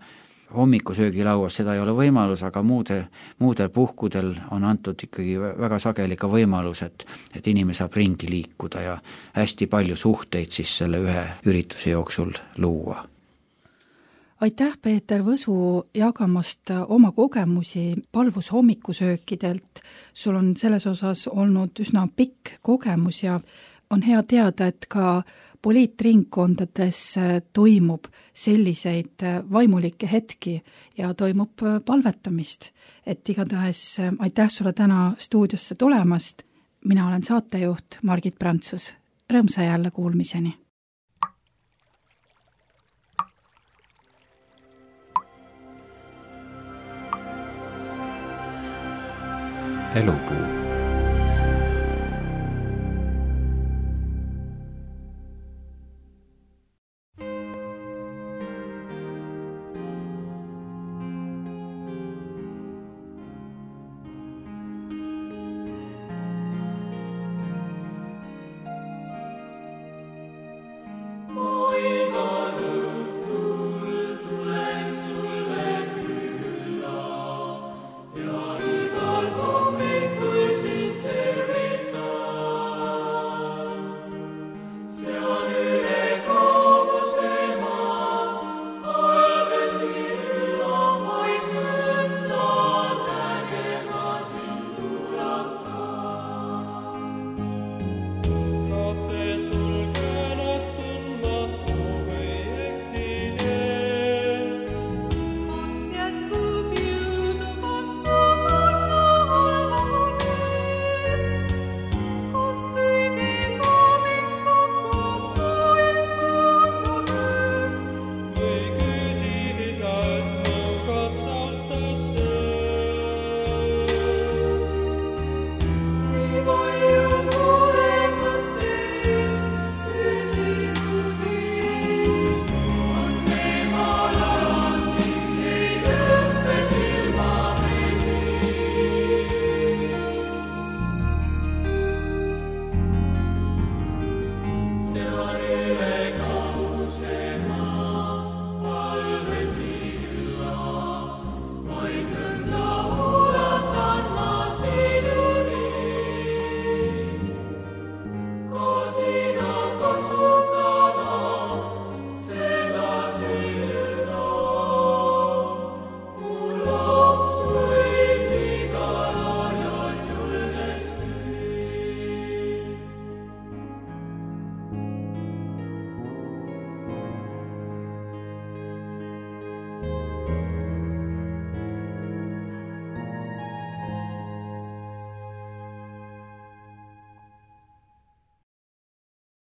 Speaker 3: Hommikusöögilauas seda ei ole võimalus, aga muudel puhkudel on antud ikkagi väga sageli ka võimalus, et inimene saab ringi liikuda ja hästi palju suhteid siis selle ühe ürituse jooksul luua.
Speaker 2: Aitäh, Peeter Võsu, jagamast oma kogemusi Palvus hommikusöökidelt. Sul on selles osas olnud üsna pikk kogemus ja on hea teada, et ka poliitringkondades toimub selliseid vaimulikke hetki ja toimub palvetamist. Et igatahes aitäh sulle täna stuudiosse tulemast. Mina olen saatejuht Margit Prantsus. Rõõmsa jälle kuulmiseni.
Speaker 1: Elupuu.